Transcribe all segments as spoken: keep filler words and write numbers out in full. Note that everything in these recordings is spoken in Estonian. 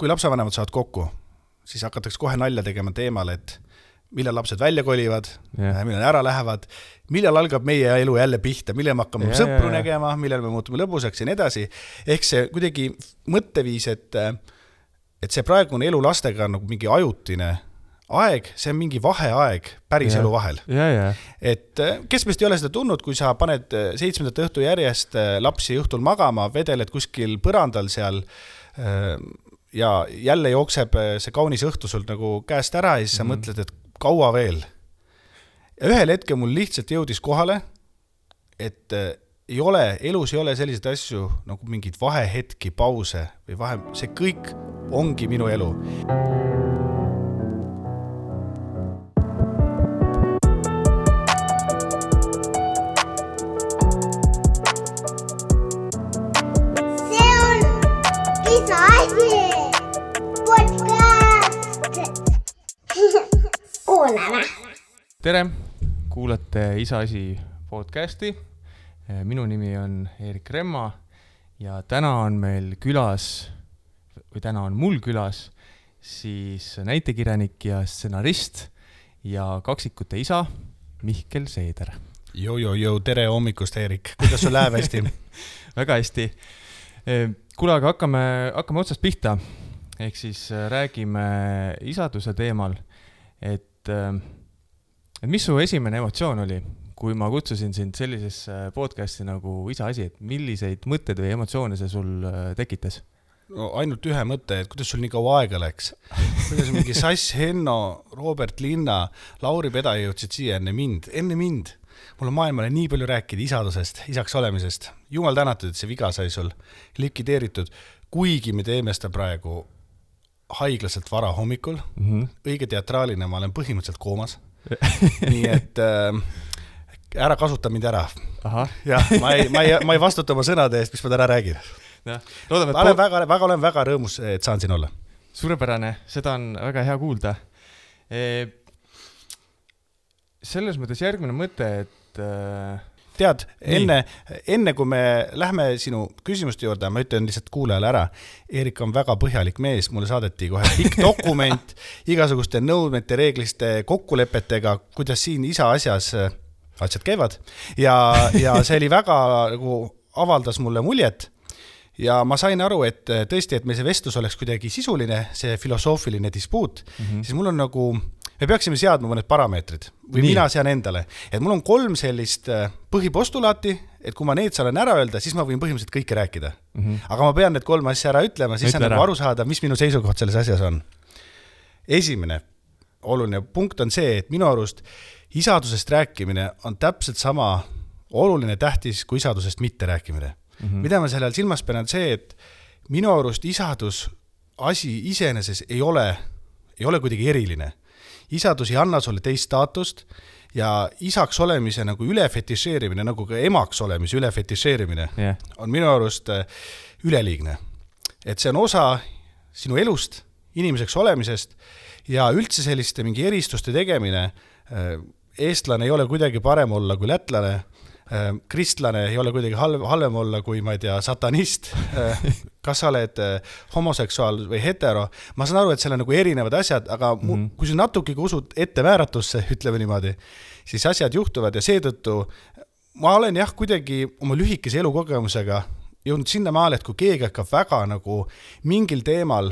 kui lapsevanemad saavad kokku, siis hakatakse kohe nalja tegema teemal, et millal lapsed välja kolivad, yeah. millal ära lähevad, millal algab meie elu jälle pihta, millal me hakkame yeah, sõpru yeah. nägema, millal me muutume lõbusaks ja nii edasi. Ehk see kuidagi mõtteviis, et, et see praegune elu lastega on nagu mingi ajutine aeg, see on mingi vaheaeg päris yeah. elu vahel. Yeah, yeah. Et kes meist ei ole seda tundnud, kui sa paned seitsmendat õhtu järjest lapsi õhtul magama, vedeled kuskil põrandal seal ja jälle jookseb see kaunis õhtu sul nagu käest ära ja siis sa mm. mõtled, et kaua veel. Ja ühel hetkel mul lihtsalt jõudis kohale, et ei ole, elus ei ole selliseid asju nagu mingid vahehetki, pause või vahe, see kõik ongi minu elu. Tere, kuulate Isa asi podcasti. Minu nimi on Erik Remma ja täna on meil külas, või täna on mul külas, siis näitekirjanik ja stsenarist ja kaksikute isa Mihkel Seeder. Jo, jo, jo, tere hommikust, Erik. Kuidas sul läheb hästi? Väga hästi. Kuule, aga hakkame, hakkame otsast pihta. Ehk siis räägime isaduse teemal, et Et mis su esimene emotsioon oli, kui ma kutsusin sind sellisesse podcasti nagu Isa asi, et milliseid mõtteid või emotsioone see sul tekitas? No, ainult ühe mõtte, et kuidas sul nii kaua aega läks. Kuidas mingi Sass Henno, Robert Linna, Lauri Peda jõudsid siia enne mind. Enne mind. Mul on maailmale nii palju rääkida isadusest, isaks olemisest. Jumal tänatud, et see viga sai sul likvideeritud. Kuigi me teeme seda praegu haiglaselt vara hommikul, mm-hmm. õige teatraalina ma olen põhimõtteliselt koomas. Nii et äh, ära kasuta mind ära. Aha. Ja, ma, ei, ma, ei, ma ei vastuta oma sõnade eest, mis ma täna räägin. Ja, loodame, et olen, po- väga, väga, olen väga rõõmus, et saan siin olla. Suurepärane, seda on väga hea kuulda. E, selles mõttes järgmine mõte, et... Äh, Tead, enne, enne kui me lähme sinu küsimuste juurde, ma ütlen lihtsalt kuulajale ära, Erik on väga põhjalik mees, mulle saadeti kohe pikk dokument, igasuguste nõudmete, reegliste, kokkulepetega, kuidas siin isa asjas asjad käivad ja, ja see oli väga nagu avaldas mulle muljet ja ma sain aru, et tõesti, et meil see vestlus oleks kuidagi sisuline, see filosoofiline dispuut, mm-hmm. siis mul on nagu me peaksime seadma mõned parameetrid või Nii. Mina sean endale, et mul on kolm sellist põhipostulaati, et kui ma need saan ära öelda, siis ma võin põhimõtteliselt kõike rääkida. Mm-hmm. Aga ma pean need kolm asja ära ütlema, siis on nagu aru saada, mis minu seisukoht selles asjas on. Esimene oluline punkt on see, et minu arust isadusest rääkimine on täpselt sama oluline tähtis kui isadusest mitte rääkimine. Mm-hmm. Mida ma sellel silmas pean see, et minu arust isadus asi iseeneses ei ole, ei ole kuidagi eriline. Isadus ei anna sulle teist staatust ja isaks olemise nagu üle fetišeerimine, nagu ka emaks olemise üle fetišeerimine yeah. on minu arust üleliigne. Et see on osa sinu elust, inimeseks olemisest ja üldse selliste mingi eristuste tegemine. Eestlane ei ole kuidagi parem olla kui lätlane, kristlane ei ole kuidagi halvem olla kui, ma ei tea, satanist, kas sa oled homoseksuaal või hetero. Ma saan aru, et seal on nagu erinevad asjad, aga mm-hmm. kui sa natuke usud ette määratusse, ütleme niimoodi, siis asjad juhtuvad ja seetõttu ma olen jah kuidagi oma lühikese elukogemusega jõudnud sinna maale, et kui keegi hakkab väga nagu mingil teemal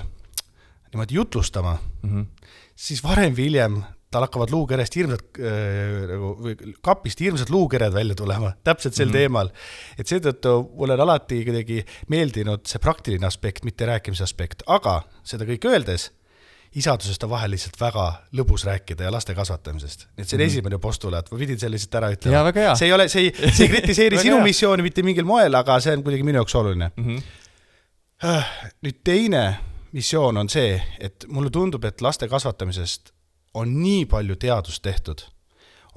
niimoodi jutlustama, mm-hmm. siis varem või hiljem tal hakkavad luukerest hirmsad, äh, kapist hirmsad luukered välja tulema, täpselt sel mm-hmm. teemal. Et seetõttu mulle on alati kuidagi meeldinud see praktiline aspekt, mitte rääkimise aspekt, aga seda kõik öeldes, isadusest on vahel lihtsalt väga lõbus rääkida ja laste kasvatamisest. Nii et see on mm-hmm. esimene postulaat, ma pidin selle lihtsalt ära ütlema. Ja, väga hea. See ei, ole, see ei, see ei kritiseeri sinu missiooni mitte mingil moel, aga see on kuidagi minu jaoks oluline. Mm-hmm. Nüüd teine missioon on see, et mulle tundub, et laste kasvatamisest on nii palju teadust tehtud.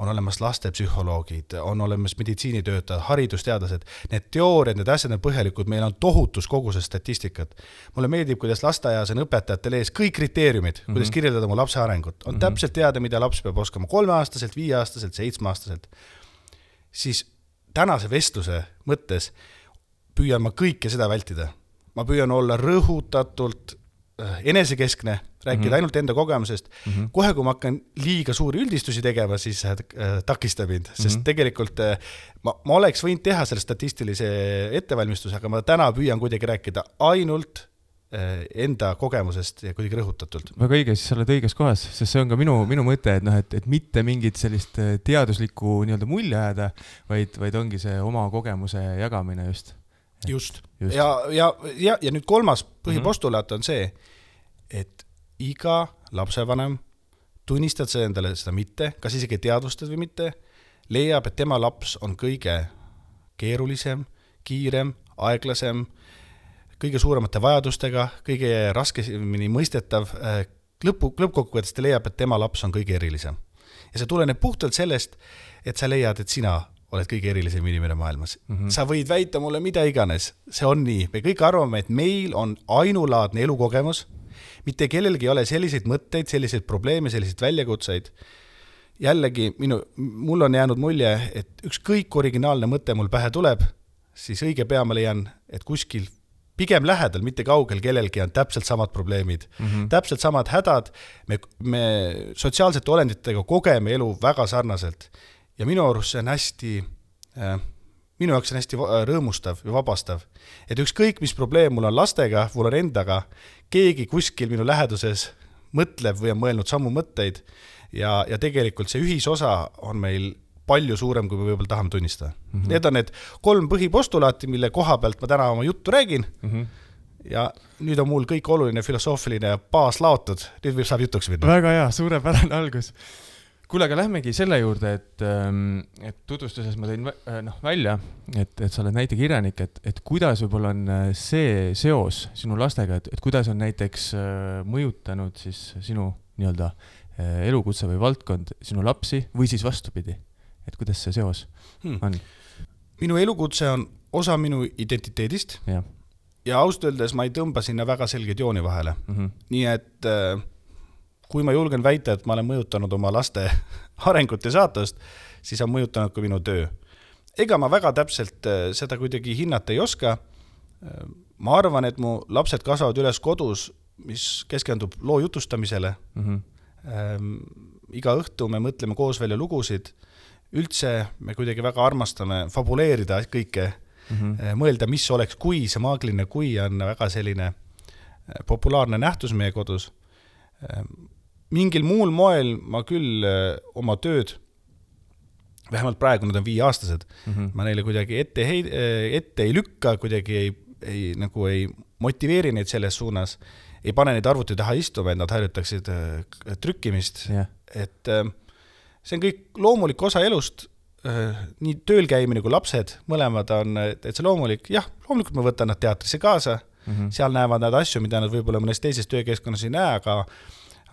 On olemas lastepsühholoogid, on olemas meditsiinitöötajad, haridusteadlased. Need teooriad, need asjad on põhjalikud, meil on tohutus kogu see statistikat. Mulle meeldib, kuidas lasteaias on õpetajatel ees kõik kriteeriumid, mm-hmm. kuidas kirjeldada mu lapse arengut. On mm-hmm. täpselt teada, mida laps peab oskama kolmeaastaselt, viieaastaselt, seitsmeaastaselt. Siis tänase vestluse mõttes püüan ma kõike seda vältida. Ma püüan olla rõhutatult enesekeskne, rääkida mm -hmm. ainult enda kogemusest. Mm -hmm. Kohe, kui ma hakkan liiga suuri üldistusi tegema, siis äh, takistab mind, sest mm -hmm. tegelikult äh, ma, ma oleks võinud teha selle statistilise ettevalmistuse, aga ma täna püüan kuidagi rääkida ainult äh, enda kogemusest ja kuidagi rõhutatult. Väga õige, siis sa oled õiges kohas, sest see on ka minu, minu mõte, et, noh, et, et mitte mingit sellist teaduslikku nii-öelda mulje ajada, vaid, vaid ongi see oma kogemuse jagamine just. Just. just. Ja, ja, ja, ja nüüd kolmas põhipostulaat on see, et iga lapsevanem, tunnistad sa endale seda mitte, kas isegi teadvustad või mitte, leiab, et tema laps on kõige keerulisem, kiirem, aeglasem, kõige suuremate vajadustega, kõige raskemini mõistetav, lõpu, lõppkokkuvõttes ta leiab, et tema laps on kõige erilisem. Ja see tuleneb puhtalt sellest, et sa leiad, et sina oled kõige erilisem inimene maailmas. Mm -hmm. Sa võid väita mulle mida iganes, see on nii. Me kõik arvame, et meil on ainulaadne elukogemus, mitte kellelgi ei ole selliseid mõtteid, selliseid probleeme, selliseid väljakutseid. Jällegi, minu, mul on jäänud mulje, et ükskõik originaalne mõte mul pähe tuleb, siis õige pea ma leian, et kuskil pigem lähedal, mitte kaugel kellelgi on täpselt samad probleemid, mm -hmm. täpselt samad hädad. Me, me sotsiaalsete olenditega kogeme elu väga sarnaselt. Ja minu arust see on hästi, äh, minu jaoks on hästi rõõmustav ja vabastav. Et ükskõik, mis probleem mul on lastega, mul on endaga, keegi kuskil minu läheduses mõtleb või on mõelnud sammu mõtteid ja, ja tegelikult see ühisosa on meil palju suurem, kui me võib-olla tahame tunnistada. Mm -hmm. Need on need kolm põhipostulaati, mille koha pealt ma täna oma juttu räägin. Mm -hmm. Ja nüüd on mul kõik oluline filosoofiline baas laotud. Nüüd võib saab jutuks minna. Väga hea, suurepärane algus. Kuule, aga lähmegi selle juurde, et, et tutvustuses ma tõin noh, välja, et, et sa oled näitekirjanik, et, et kuidas võib-olla on see seos sinu lastega, et, et kuidas on näiteks mõjutanud siis sinu nii-öelda elukutse või valdkond sinu lapsi või siis vastupidi, et kuidas see seos hmm. on? Minu elukutse on osa minu identiteedist ja, ja ausalt öeldes ma ei tõmba sinna väga selgeid jooni vahele. Mm -hmm. Nii et kui ma julgen väita, et ma olen mõjutanud oma laste arengut ja saatust, siis on mõjutanud ka minu töö. Ega ma väga täpselt seda kuidagi hinnata ei oska. Ma arvan, et mu lapsed kasvavad üles kodus, mis keskendub loo jutustamisele. Mm-hmm. Ähm, iga õhtu me mõtleme koos välja lugusid. Üldse me kuidagi väga armastame fabuleerida kõike, mm-hmm. mõelda, mis oleks kui, see maagiline kui on väga selline populaarne nähtus meie kodus. Mingil muul moel ma küll oma tööd, vähemalt praegu nad on viieaastased, mm-hmm. ma neile kuidagi ette, heid, ette ei lükka, kuidagi ei, ei, nagu ei motiveeri neid selles suunas, ei pane neid arvuti taha istuma, et nad harjutaksid trükkimist. Yeah. Et see on kõik loomulik osa elust, nii tööl käimine kui lapsed, mõlemad on täitsa loomulik. Jah, loomulikult ma võtan nad teatrisse kaasa, mm-hmm. seal näevad nad asju, mida nad võib-olla mõnes teises töökeskkonnas ei näe, aga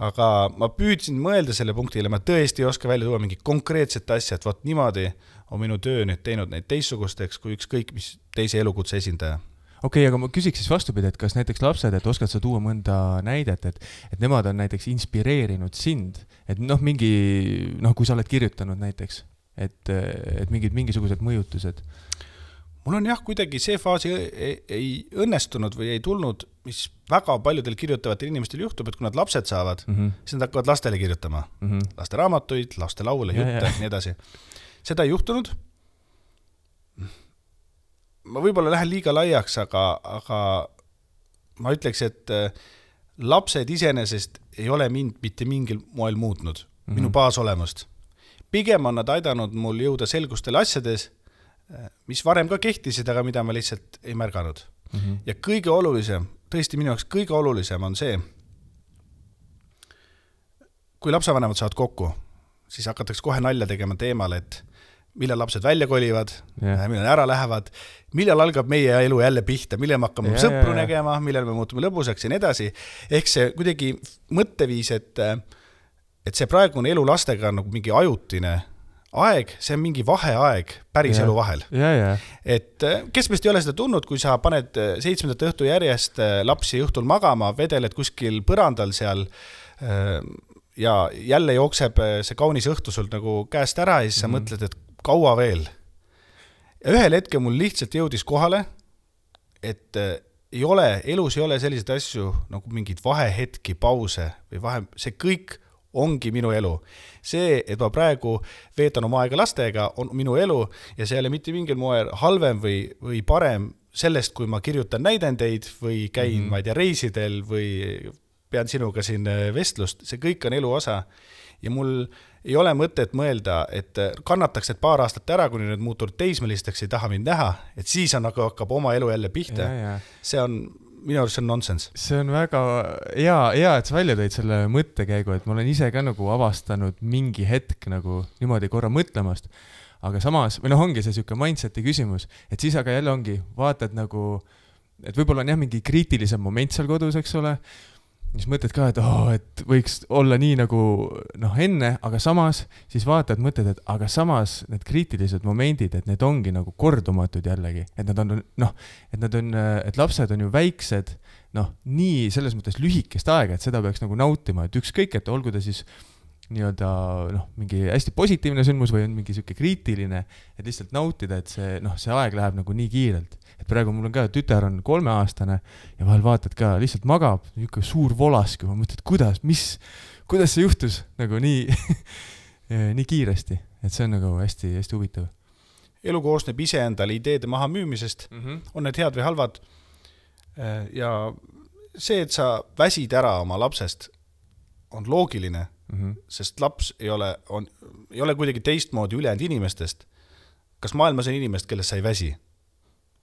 aga ma püüdsin mõelda selle punktile, ma tõesti ei oska välja tuua mingi konkreetset asja, et võt niimoodi on minu töö nüüd teinud neid teistsugusteks kui ükskõik mis teise elukutse esindaja. Okei, okay, aga ma küsiks siis vastupidi, et kas näiteks lapsed, et oskad sa tuua mõnda näidet, et, et nemad on näiteks inspireerinud sind, et noh, mingi, noh, kui sa oled kirjutanud näiteks, et, et mingid, mingisugused mõjutused. Mul on jah, kuidagi see faas ei, ei, ei õnnestunud või ei tulnud, mis väga paljudel kirjutavatel inimestel juhtub, et kui nad lapsed saavad, mm -hmm. siis nad hakkavad lastele kirjutama. Mm -hmm. Laste raamatuid, laste laule, jutte, nii edasi. Seda ei juhtunud. Ma võib-olla lähen liiga laiaks, aga, aga ma ütleks, et lapsed iseenesest ei ole mind mitte mingil moel muutnud, mm -hmm. minu baasolemust. Pigem on nad aidanud mul jõuda selgustele asjades, mis varem ka kehtisid, aga mida ma lihtsalt ei märganud. Mm-hmm. Ja kõige olulisem, tõesti minu jaoks kõige olulisem on see, kui lapsevanemad saavad kokku, siis hakatakse kohe nalja tegema teemal, et millal lapsed välja kolivad, yeah. millal ära lähevad, millal algab meie elu jälle pihta, millal me hakkame yeah, sõpru yeah, yeah. nägema, millal me muutume lõbusaks ja nii edasi. Ehk see kuidagi mõtteviis, et, et see praegune elu lastega on nagu mingi ajutine aeg, see on mingi vaheaeg päris yeah. elu vahel. Yeah, yeah. Et kes meist ei ole seda tundnud, kui sa paned seitsmendat õhtu järjest lapsi õhtul magama, vedeled kuskil põrandal seal ja jälle jookseb see kaunis õhtu sult nagu käest ära ja siis sa mm-hmm. mõtled, et kaua veel. Ja ühel hetkel mul lihtsalt jõudis kohale, et ei ole, elus ei ole selliseid asju nagu mingid vahehetki, pause või vahe, see kõik ongi minu elu. See, et ma praegu veetan oma aega lastega, on minu elu ja see ei ole mitte mingil moel halvem või, või parem sellest, kui ma kirjutan näidendeid või käin, mm-hmm. ma ei tea, reisidel või pean sinuga siin vestlust, see kõik on elu osa ja mul ei ole mõtet mõelda, et kannataks et paar aastat ära, kuni need muutunud teismelisteks ei taha mind näha, et siis on nagu hakkab oma elu jälle pihta. Ja, ja. See on, minu arust see on nonsense. See on väga hea, hea, et sa välja tõid selle mõttekäigu, et ma olen ise ka nagu avastanud mingi hetk nagu niimoodi korra mõtlemast, aga samas, või noh, ongi see siuke mindseti küsimus, et siis aga jälle ongi, vaatad nagu, et võib-olla on jah mingi kriitilisem moment seal kodus, eks ole, siis mõtled ka, et, oh, et võiks olla nii nagu noh, enne, aga samas siis vaatad, mõtled, et aga samas need kriitilised momendid, et need ongi nagu kordumatud jällegi, et nad on, noh, et nad on, et lapsed on ju väiksed, noh, nii selles mõttes lühikest aega, et seda peaks nagu nautima, et ükskõik, et olgu ta siis nii-öelda noh, mingi hästi positiivne sündmus või on mingi siuke kriitiline, et lihtsalt nautida, et see, noh, see aeg läheb nagu nii kiirelt. Et praegu mul on ka, tütar on kolmeaastane ja vahel vaatad ka, lihtsalt magab, niisugune suur volask, ma mõtled, kuidas, mis, kuidas see juhtus nagu nii, nii kiiresti, et see on nagu hästi, hästi huvitav. Elu koosneb ise endale ideede maha müümisest, mm-hmm. on need head või halvad ja see, et sa väsid ära oma lapsest, on loogiline, mm-hmm. sest laps ei ole, on, ei ole kuidagi teistmoodi ülejäänud inimestest. Kas maailmas on inimest, kellest sa ei väsi?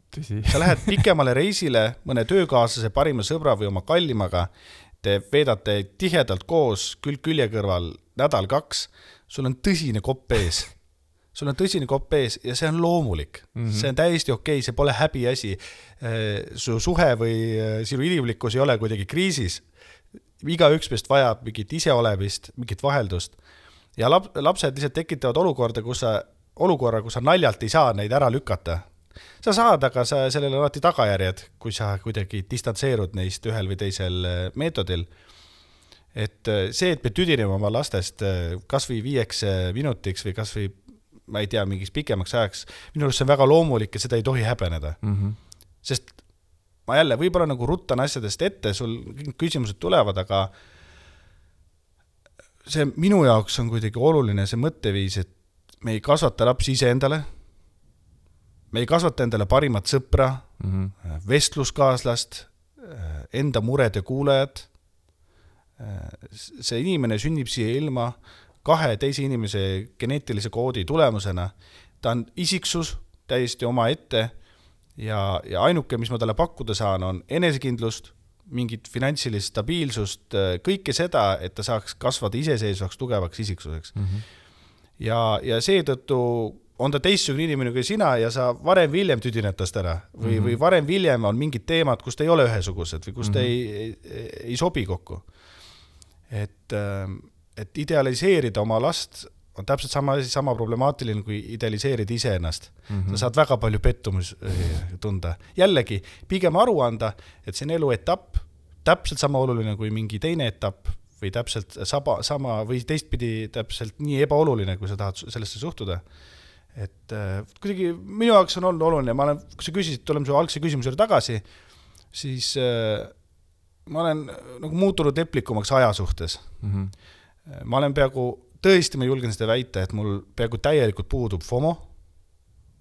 Tõsi. Sa lähed pikemale reisile mõne töökaaslase parima sõbra või oma kallimaga, te veedate tihedalt koos külg külje kõrval nädal kaks, sul on tõsine kopp ees. Sul on tõsine kopp ees ja see on loomulik. Mm-hmm. See on täiesti okei, see pole häbi asi. Su suhe või sinu inimlikkus ei ole kuidagi kriisis. Iga üks meist vajab mingit iseolemist, mingit vaheldust. Ja lapsed lihtsalt tekitavad olukorda, kus sa, olukorra, kus sa naljalt ei saa neid ära lükata. Sa saad, aga sa sellele alati tagajärjed, kui sa kuidagi distantseerud neist ühel või teisel meetodil. Et see, et me tüdineme oma lastest kas või viieks minutiks või kas või, ma ei tea, mingiks pikemaks ajaks, minu arust see on väga loomulik ja seda ei tohi häbeneda. Mm-hmm. Sest ma jälle võib-olla nagu ruttan asjadest ette, sul küsimused tulevad, aga see minu jaoks on kuidagi oluline see mõtteviis, et me ei kasvata lapsi ise endale, me ei kasvata endale parimat sõpra, mm-hmm. vestluskaaslast, enda mured ja kuulajad. See inimene sünnib siia ilma kahe teise inimese geneetilise koodi tulemusena. Ta on isiksus täiesti oma ette ja, ja ainuke, mis ma talle pakkuda saan, on enesekindlust, mingit finantsilist stabiilsust, kõike seda, et ta saaks kasvada iseseisvaks, tugevaks isiksuseks. Mm-hmm. Ja, ja seetõttu on ta teistsugune inimene kui sina ja sa varem viljem tüdinetast ära või, mm-hmm. või varem viljem on mingid teemad, kus ta ei ole ühesugused või kus ta mm-hmm. ei, ei, ei sobi kokku. Et, et idealiseerida oma last on täpselt sama, sama problemaatiline kui idealiseerida ise ennast. Mm-hmm. Sa saad väga palju pettumus tunda. Jällegi, pigem aru anda, et see on elu etapp, täpselt sama oluline kui mingi teine etapp või täpselt sama, sama või teistpidi täpselt nii ebaoluline, kui sa tahad sellesse suhtuda. Et äh, kuidagi minu jaoks on olnud oluline, ma olen, kui sa küsisid, tuleme su algse küsimusele tagasi, siis äh, ma olen nagu muutunud eplikumaks aja suhtes. Mm-hmm. Ma olen peaaegu, tõesti ma julgen seda väita, et mul peaaegu täielikult puudub FOMO,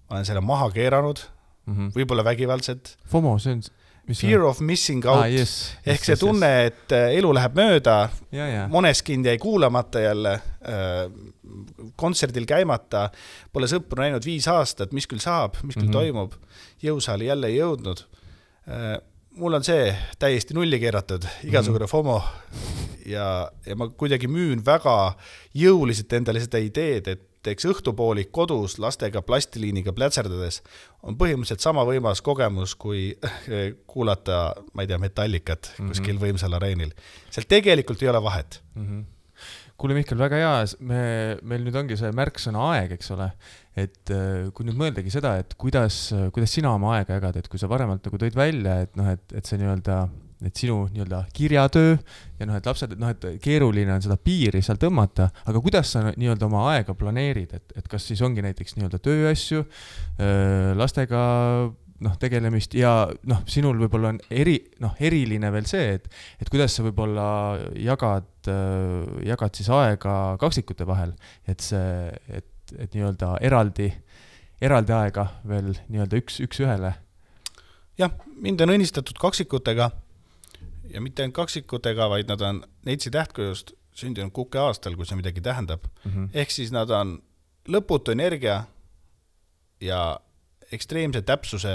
ma olen selle maha keeranud, mm-hmm. võib-olla vägivaldselt. FOMO, see on... Fear of missing out, ah, yes, ehk yes, see tunne, yes, yes. et elu läheb mööda, ja, ja. Moneskind jäi kuulamata jälle, kontserdil käimata, pole sõpru näinud viis aastat, mis küll saab, mis küll mm-hmm. toimub, jõusaali jälle ei jõudnud. Mul on see täiesti nulli keeratud, igasugune mm-hmm. FOMO ja, ja ma kuidagi müün väga jõuliselt endale seda ideed, et teeks õhtupoolik kodus lastega plastiliiniga plätserdades on põhimõtteliselt sama võimas kogemus, kui kuulata, ma ei tea, metallikat mm-hmm. kuskil võimsal areenil. Seal tegelikult ei ole vahet. Mm-hmm. Kuule Mihkel, väga hea, me, meil nüüd ongi see märksõna aeg, eks ole, et kui nüüd mõeldagi seda, et kuidas, kuidas sina oma aega jagad, et kui sa varemalt nagu tõid välja, et, noh, et, et see nii-öelda et sinu nii-öelda kirjatöö ja noh, et lapsed, noh, et keeruline on seda piiri seal tõmmata, aga kuidas sa nii-öelda oma aega planeerid, et, et kas siis ongi näiteks nii-öelda tööasju, lastega noh, tegelemist ja noh, sinul võib-olla on eri, noh, eriline veel see, et, et kuidas sa võib-olla jagad, jagad siis aega kaksikute vahel, et see, et, et nii-öelda eraldi, eraldi aega veel nii-öelda üks, üks ühele. Jah, mind on õnnistatud kaksikutega ja mitte ainult kaksikutega, vaid nad on Neitsi tähtkujust sündinud kuke aastal, kui see midagi tähendab. Mm-hmm. Ehk siis nad on lõputu energia ja ekstreemse täpsuse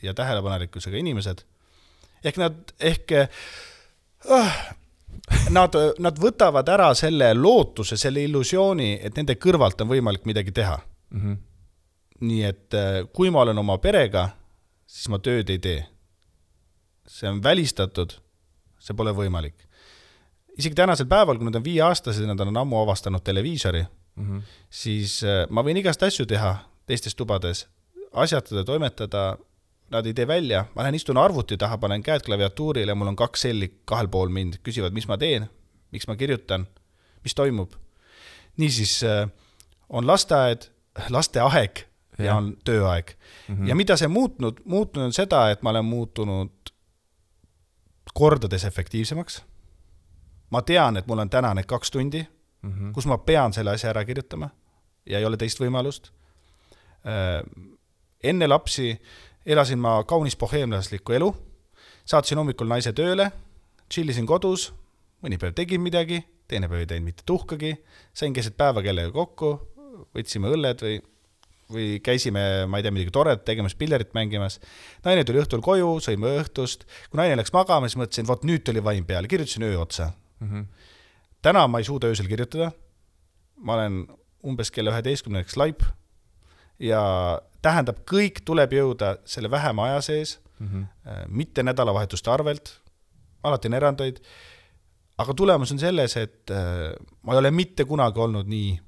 ja tähelepanelikkusega inimesed. Ehk nad, ehk äh, nad, nad võtavad ära selle lootuse, selle illusiooni, et nende kõrvalt on võimalik midagi teha. Mm-hmm. Nii et kui ma olen oma perega, siis ma tööd ei tee. See on välistatud, see pole võimalik. Isegi tänasel päeval, kui nad on viie aastased, nad on ammu avastanud televiisori, mm-hmm. siis ma võin igast asju teha teistes tubades, asjatada, toimetada, nad ei tee välja, ma lähen istun arvuti taha, panen käed klaviatuurile, mul on kaks selli kahel pool mind, küsivad, mis ma teen, miks ma kirjutan, mis toimub. Niisiis on lasteaed, lasteaeg ja, ja on tööaeg. Mm-hmm. Ja mida see muutnud? Muutnud on seda, et ma olen muutunud kordades efektiivsemaks. Ma tean, et mul on täna need kaks tundi, mm-hmm. kus ma pean selle asja ära kirjutama ja ei ole teist võimalust. Enne lapsi elasin ma kaunis boheemlaslikku elu, saatsin hommikul naise tööle, chillisin kodus, mõni päev tegin midagi, teine päev ei teinud mitte tuhkagi, sain keset päeva kellega kokku, võtsime õlled või, või käisime, ma ei tea, midagi toret tegemas, pillerit mängimas. Naine tuli õhtul koju, sõime õhtust, kui naine läks magama, siis mõtlesin, vot nüüd tuli vaim peale, kirjutasin öö otsa. Mm-hmm. Täna ma ei suuda öösel kirjutada, ma olen umbes kella üheteistkümneks laip, ja tähendab, kõik tuleb jõuda selle vähema aja sees, mm-hmm. mitte nädalavahetuste arvelt, alati on erandeid, aga tulemus on selles, et ma ei ole mitte kunagi olnud nii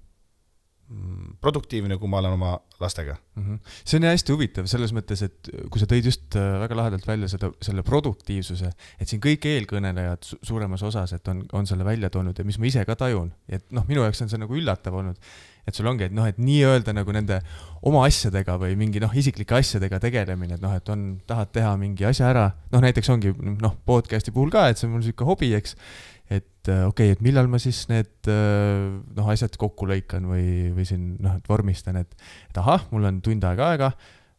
produktiivne, kui ma olen oma lastega. Mm-hmm. See on hästi huvitav selles mõttes, et kui sa tõid just väga lahedalt välja seda, selle produktiivsuse, et siin kõik eelkõnelejad su- suuremas osas, et on, on selle välja toonud ja mis ma ise ka tajun, et noh, minu jaoks on see nagu üllatav olnud, et sul ongi, et noh, et nii öelda nagu nende oma asjadega või mingi noh, isiklike asjadega tegelemine, et noh, et on, tahad teha mingi asja ära, noh näiteks ongi noh, podcasti puhul ka, et see on mul siuke hobi, eks, et okei, okay, et millal ma siis need noh, asjad kokku lõikan või, või siin noh, et vormistan, et, et ahah, mul on tund aega aega,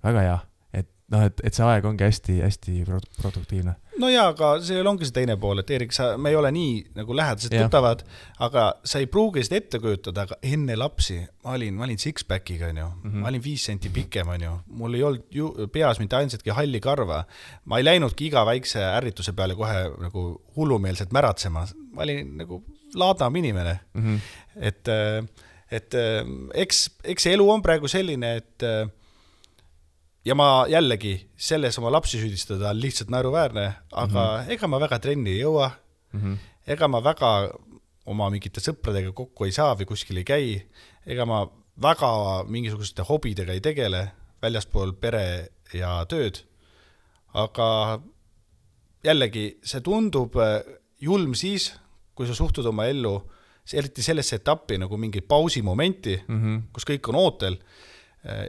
väga hea, et noh, et, et see aeg ongi hästi, hästi produktiivne. No jaa, aga see ongi see teine pool, et Eerik, sa, me ei ole nii nagu lähedased tuttavad, aga sa ei pruugi seda ette kujutada, aga enne lapsi ma olin, ma olin six-packiga, on ju. Mm-hmm. Ma olin viis senti pikem, on ju. Mul ei olnud ju, peas mitte ainsatki halli karva. Ma ei läinudki iga väikse ärrituse peale kohe nagu hullumeelselt märatsema. Ma olin nagu laadam inimene. Mm-hmm. Et, et eks, eks elu on praegu selline, et ja ma jällegi selles oma lapsi süüdistada on lihtsalt naeruväärne, aga mm-hmm. ega ma väga trenni ei jõua, mm-hmm. ega ma väga oma mingite sõpradega kokku ei saa või kuskil ei käi, ega ma väga mingisuguste hobidega ei tegele väljaspool pere ja tööd, aga jällegi see tundub julm siis, kui sa suhtud oma ellu, eriti sellesse etappi nagu mingi pausimomenti, mm-hmm. kus kõik on ootel,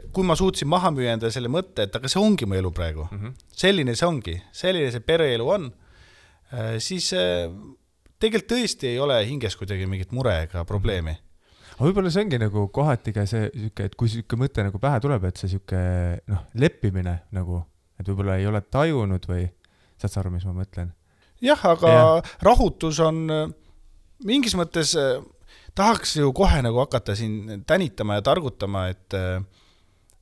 kui ma suutsin maha müüa enda selle mõtte, et aga see ongi mu elu praegu. Mm-hmm. Selline see ongi. Selline see pereelu on. Siis tegelikult tõesti ei ole hinges kuidagi mingit mure ega probleemi. Aga võib-olla see ongi nagu kohati ka see, et kui siuke mõte nagu pähe tuleb, et see siuke noh, leppimine nagu, et võib-olla ei ole tajunud või saad sa aru, mis ma mõtlen? Jah, aga ja. Rahutus on mingis mõttes, tahaks ju kohe nagu hakata siin tänitama ja targutama, et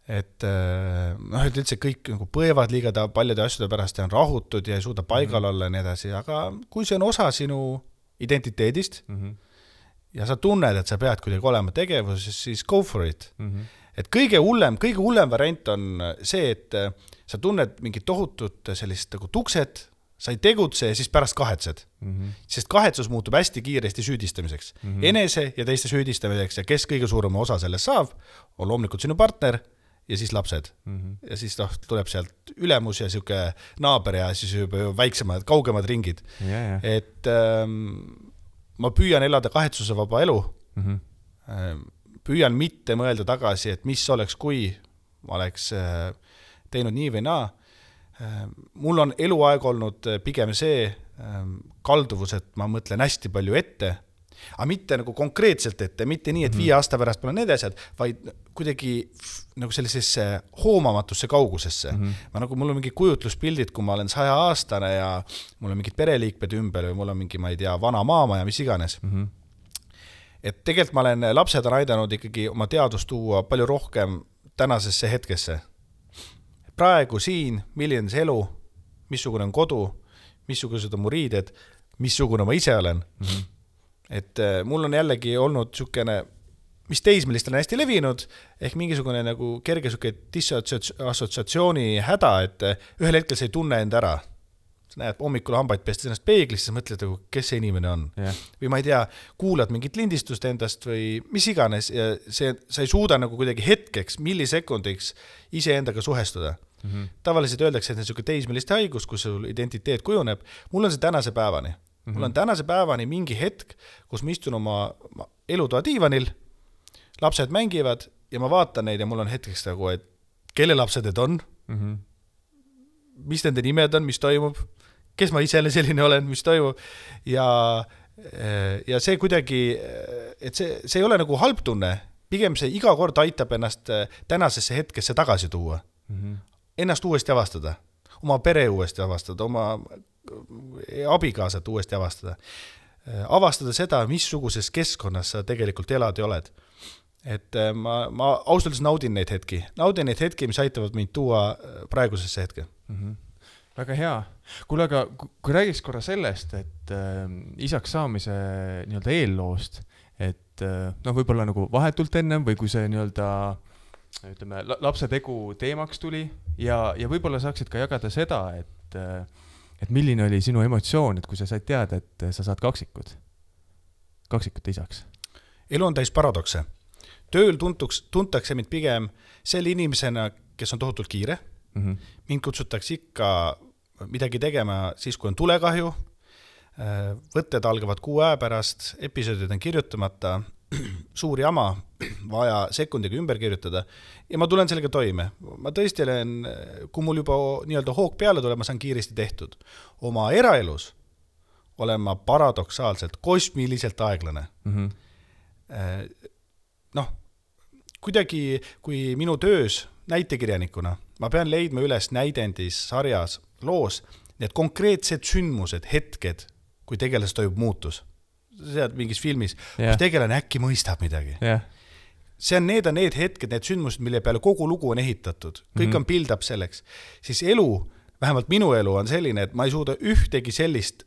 et noh, et üldse kõik nagu põevad liiga ta paljude asjade pärast ja on rahutud ja ei suuda paigal mm-hmm. olla ja nii edasi, aga kui see on osa sinu identiteedist mm-hmm. ja sa tunned, et sa pead kuidagi olema tegevuses, siis go for it. Mm-hmm. Et kõige hullem, kõige hullem variant on see, et sa tunned mingit tohutut sellist nagu tukset, sa ei tegutse ja siis pärast kahetsed. Mm-hmm. Sest kahetsus muutub hästi kiiresti süüdistamiseks. Mm-hmm. Enese ja teiste süüdistamiseks ja kes kõige suurema osa sellest saab, on loomulikult sinu partner ja siis lapsed. Mm-hmm. Ja siis noh, tuleb sealt ülemus ja siuke naaber ja siis juba väiksemad, kaugemad ringid. Yeah, yeah. Et ähm, ma püüan elada kahetsuse vaba elu. Mm-hmm. Ähm, püüan mitte mõelda tagasi, et mis oleks, kui ma oleks äh, teinud nii või naa. mul on eluaeg olnud pigem see kalduvus, et ma mõtlen hästi palju ette, aga mitte nagu konkreetselt ette, mitte nii, et viie aasta pärast pole need asjad, vaid kuidagi nagu sellisesse hoomamatusse kaugusesse. Mm-hmm. Ma nagu, mul on mingi kujutluspildid, kui ma olen saja aastane ja mul on mingid pereliikmed ümber või mul on mingi, ma ei tea, vana maama ja mis iganes. Mm-hmm. Et tegelikult ma olen, lapsed on aidanud ikkagi oma teadust tuua palju rohkem tänasesse hetkesse. Praegu siin, milline see elu, missugune on kodu, missugused on mu riided, missugune ma ise olen. Mm-hmm. Et mul on jällegi olnud sükene, mis teismelistel on hästi levinud, ehk mingisugune nagu kerge süke disassotsiatsiooni häda, et ühel hetkel sa ei tunne enda ära. Sa näed hommikul hambaid pestes ennast peeglis, siis mõtled, kes see inimene on. Yeah. Või ma ei tea, kuulad mingit lindistust endast või mis iganes ja see, sa ei suuda nagu kuidagi hetkeks, millisekundiks ise endaga suhestuda. Mm-hmm. Tavaliselt öeldakse, et see on selline teismeliste haigus, kus sul identiteet kujuneb. Mul on see tänase päevani. Mm-hmm. Mul on tänase päevani mingi hetk, kus ma istun oma elutoa diivanil, lapsed mängivad ja ma vaatan neid ja mul on hetkeks nagu, et kelle lapsed need on, mm-hmm. mis nende nimed on, mis toimub, kes ma ise selline olen, mis toimub ja, ja see kuidagi, et see, see ei ole nagu halb tunne, pigem see iga kord aitab ennast tänasesse hetkesse tagasi tuua, mm-hmm. ennast uuesti avastada, oma pere uuesti avastada, oma abikaasat uuesti avastada, avastada seda, missuguses keskkonnas sa tegelikult elad ja oled. Et ma, ma ausalt naudin neid hetki, naudin neid hetki, mis aitavad mind tuua praegusesse hetke. Mm-hmm. Väga hea. Kuule, aga kui räägiks korra sellest, et äh, isaks saamise nii-öelda eelloost, et äh, no võib-olla nagu vahetult ennem või kui see nii-öelda ütleme, lapse tegu teemaks tuli ja, ja võib-olla saaksid ka jagada seda, et, äh, et milline oli sinu emotsioon, et kui sa said teada, et sa saad kaksikud, kaksikute isaks? Elu on täis paradokse. Tööl tuntuks, tuntakse mind pigem selle inimesena, kes on tohutult kiire. Mm-hmm. Mind kutsutakse ikka midagi tegema siis, kui on tulekahju, võtted algavad kuu aja pärast, episoodid on kirjutamata, suur jama, vaja sekundiga ümber kirjutada ja ma tulen sellega toime. Ma tõesti olen, kui mul juba nii-öelda hoog peale tuleb, ma saan kiiresti tehtud. Oma eraelus olen ma paradoksaalselt, kosmiliselt aeglane. Mm-hmm. Noh, kuidagi, kui minu töös näitekirjanikuna, ma pean leidma üles näidendis, sarjas, loos, need konkreetsed sündmused, hetked, kui tegeles toimub muutus. See on mingis filmis, yeah. kus tegelane äkki mõistab midagi. Yeah. See on need, on need hetked, need sündmused, mille peale kogu lugu on ehitatud. Kõik mm-hmm. on build-up selleks. Siis elu, vähemalt minu elu on selline, et ma ei suuda ühtegi sellist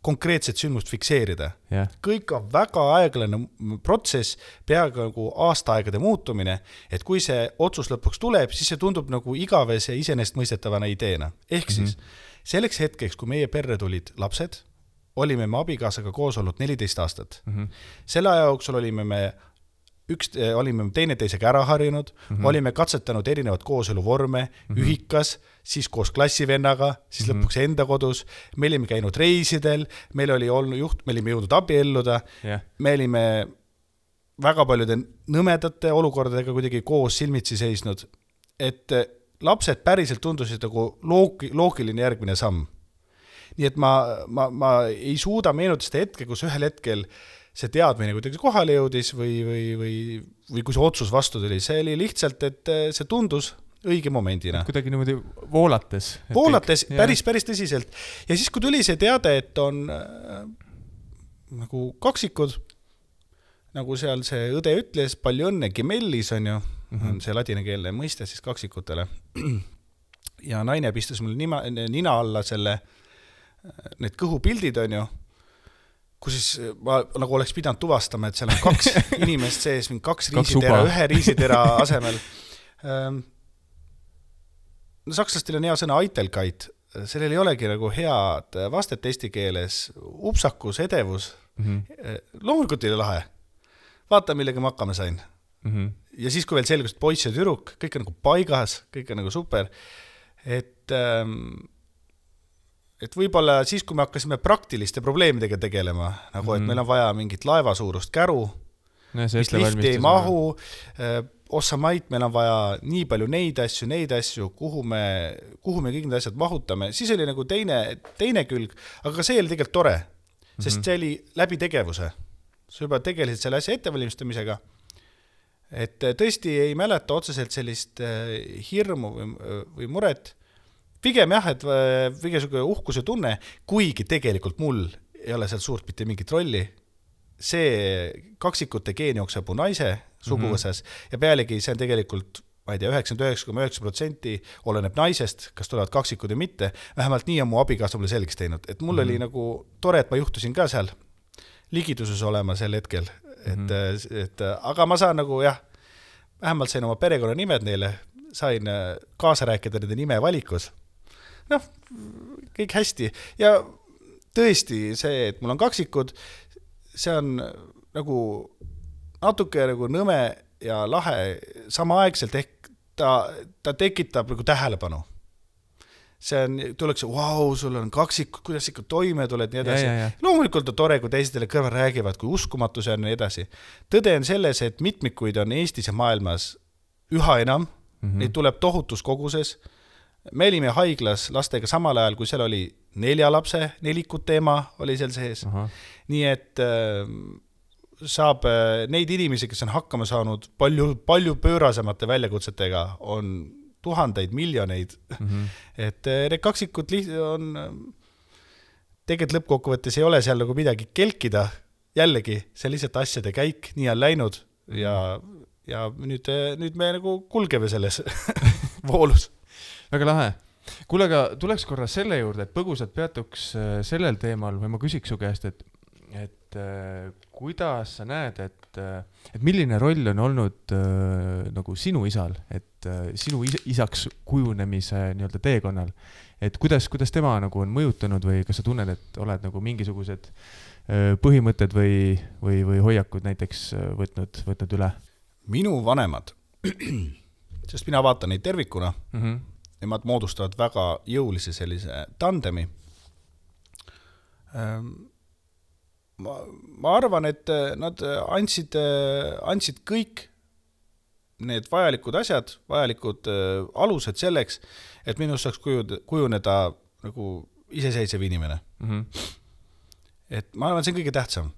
konkreetset sündmust fikseerida. Yeah. Kõik on väga aeglane protsess, peaaegu nagu aastaaegade muutumine, et kui see otsus lõpuks tuleb, siis see tundub nagu igavese isenestmõistetavana ideena. Ehk mm-hmm. siis selleks hetkeks, kui meie perre tulid lapsed, olime me abikaasaga koos olnud neliteist aastat. Mm-hmm. Selle aja jooksul olime me üks, olime teineteisega ära harjunud, mm-hmm. olime katsetanud erinevad kooseluvorme, mm-hmm. ühikas, siis koos klassivennaga, siis mm-hmm. lõpuks enda kodus, me olime käinud reisidel, meil oli olnud juht, me olime jõudnud abielluda, yeah. me olime väga paljude nõmedate olukordadega kuidagi koos silmitsi seisnud, et lapsed päriselt tundusid nagu loogiline järgmine samm. Nii et ma, ma, ma ei suuda meenutada seda hetke, kus ühel hetkel see teadmine kuidagi kohale jõudis või, või, või, või kui see otsus vastu tuli. See oli lihtsalt, et see tundus õige momendina. Kuidagi niimoodi voolates. Voolates, kõik, päris, päris tõsiselt. Ja siis, kui tuli see teade, et on äh, nagu kaksikud, nagu seal see õde ütles, palju õnne, gemellis on ju, mm-hmm. see ladinakeelne mõiste siis kaksikutele. Ja naine pistas mul nima, nina alla selle need kõhupildid on ju, kus siis ma nagu oleks pidanud tuvastama, et seal on kaks inimest sees, kaks riisitera, ühe riisitera asemel. No, sakslastel on hea sõna Eitelkeit, sellel ei olegi nagu head vastet eesti keeles, upsakus, edevus, mm-hmm. loomulikult ei ole lahe. Vaata, millega ma hakkama sain. Mm-hmm. Ja siis, kui veel selgus, et poiss ja tüdruk, kõik on nagu paigas, kõik on nagu super, et ähm, et võib-olla siis, kui me hakkasime praktiliste probleemidega tegelema, nagu et mm-hmm. meil on vaja mingit laevasuurust käru, no, mis lifti ei mahu, ossa mait, meil on vaja nii palju neid asju, neid asju, kuhu me, kuhu me kõik need asjad mahutame, siis oli nagu teine, teine külg, aga see oli tegelikult tore, sest see oli läbi tegevuse. Sa juba tegelisid selle asja ettevalmistamisega, et tõesti ei mäleta otseselt sellist hirmu või, või muret, pigem jah, et mingisugune uhkuse tunne, kuigi tegelikult mul ei ole seal suurt mitte mingit rolli. See kaksikute geen jookseb mu naise suguvõsas mm-hmm. ja pealegi see on tegelikult, ma ei tea, üheksakümmend üheksa koma üheksa protsenti oleneb naisest, kas tulevad kaksikud või mitte. Vähemalt nii on mu abikaasa mulle selgeks teinud. Et mul mm-hmm. oli nagu tore, et ma juhtusin ka seal ligiduses olema sel hetkel. Et, mm-hmm. et, aga ma saan nagu jah, vähemalt sain oma perekonna nimed neile, sain kaasa rääkida nende nime valikus. Noh, kõik hästi. Ja tõesti see, et mul on kaksikud, see on nagu natuke nagu nõme ja lahe samaaegselt ehk ta, ta tekitab nagu tähelepanu. See on, tuleks, vau, wow, sul on kaksikud, kuidas ikka toime tuled, nii edasi. Ja, ja, ja. Loomulikult on tore, kui teistele kõrval räägivad, kui uskumatu see on, nii edasi. Tõde on selles, et mitmikuid on Eestis ja maailmas üha enam, mm-hmm. neid tuleb tohutus koguses. Me olime haiglas lastega samal ajal, kui seal oli nelja lapse, nelikut teema oli seal sees. Aha. Nii et äh, saab äh, neid inimesi, kes on hakkama saanud palju, palju pöörasemate väljakutsetega, on tuhandeid, miljoneid. Mm-hmm. Et äh, need kaksikud on, tegelikult lõppkokkuvõttes ei ole seal nagu midagi kelkida. Jällegi, see lihtsalt asjade käik, nii on läinud ja, ja nüüd, nüüd me nagu kulgeme selles voolus. Väga lahe. Kuule, aga tuleks korra selle juurde, et põgusalt peatuks sellel teemal või ma küsiks su käest, et, et kuidas sa näed, et, et milline roll on olnud nagu sinu isal, et sinu isaks kujunemise nii-öelda teekonnal, et kuidas, kuidas tema nagu on mõjutanud või kas sa tunned, et oled nagu mingisugused põhimõtted või, või, või hoiakud näiteks võtnud, võtnud üle? Minu vanemad, sest mina vaatan neid tervikuna, mm-hmm. nemad moodustavad väga jõulise sellise tandemi. Ma, ma arvan, et nad andsid, andsid kõik need vajalikud asjad, vajalikud alused selleks, et minust saaks kujuneda nagu iseseisev inimene. Mm-hmm. Et ma arvan, see on kõige tähtsam.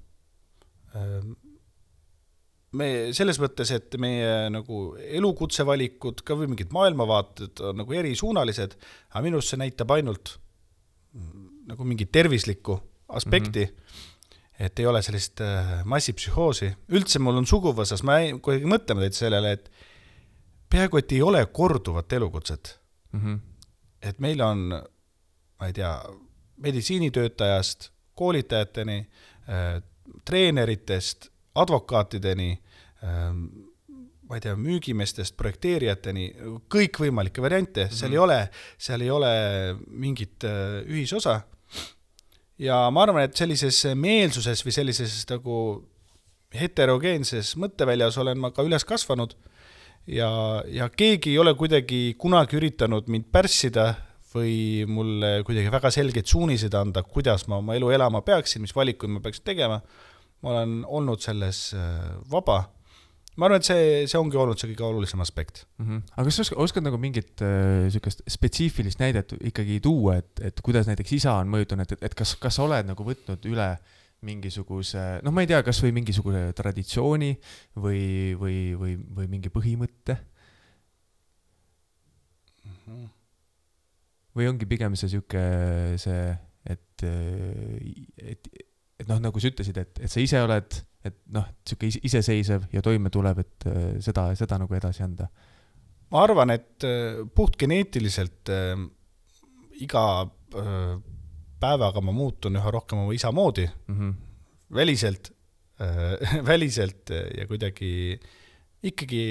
Me selles mõttes, et meie nagu elukutsevalikud, ka või mingid maailmavaated on nagu erisuunalised, aga minust see näitab ainult nagu mingi tervislikku aspekti, mm-hmm. et ei ole sellist massipsühhoosi. Üldse mul on suguvõsas, ma kui mõtleme teid sellele, et peaaegu et ei ole korduvat elukutset. Mm-hmm. Et meil on, ma ei tea, meditsiinitöötajast, koolitajateni, äh, treeneritest, advokaatideni, ma ei tea, müügimestest, projekteerijateni, kõik võimalikke variante, seal mm-hmm. ei ole, seal ei ole mingit ühisosa. Ja ma arvan, et sellises meelsuses või sellises nagu heterogeenses mõtteväljas olen ma ka üles kasvanud ja, ja keegi ei ole kuidagi kunagi üritanud mind pärssida või mulle kuidagi väga selgeid suuniseid anda, kuidas ma oma elu elama peaksin, mis valikuid ma peaksin tegema. Ma olen olnud selles vaba. Ma arvan, et see, see ongi olnud see kõige olulisem aspekt. Mm-hmm. Aga kas oskad, oskad nagu mingit äh, spetsiifilist näidet ikkagi tuua, et, et kuidas näiteks isa on mõjutanud, et, et kas, kas oled nagu võtnud üle mingisuguse, noh ma ei tea, kas või mingisuguse traditsiooni või, või, või, või mingi põhimõtte? Mm-hmm. Või ongi pigem see siuke see, et, et et noh, nagu sa ütlesid, et, et sa ise oled, et noh, siuke iseseisev ja toime tuleb, et seda, seda nagu edasi anda. Ma arvan, et puht geneetiliselt äh, iga äh, päevaga ma muutun üha rohkem oma isa moodi. Mm-hmm. Väliselt, äh, väliselt ja kuidagi ikkagi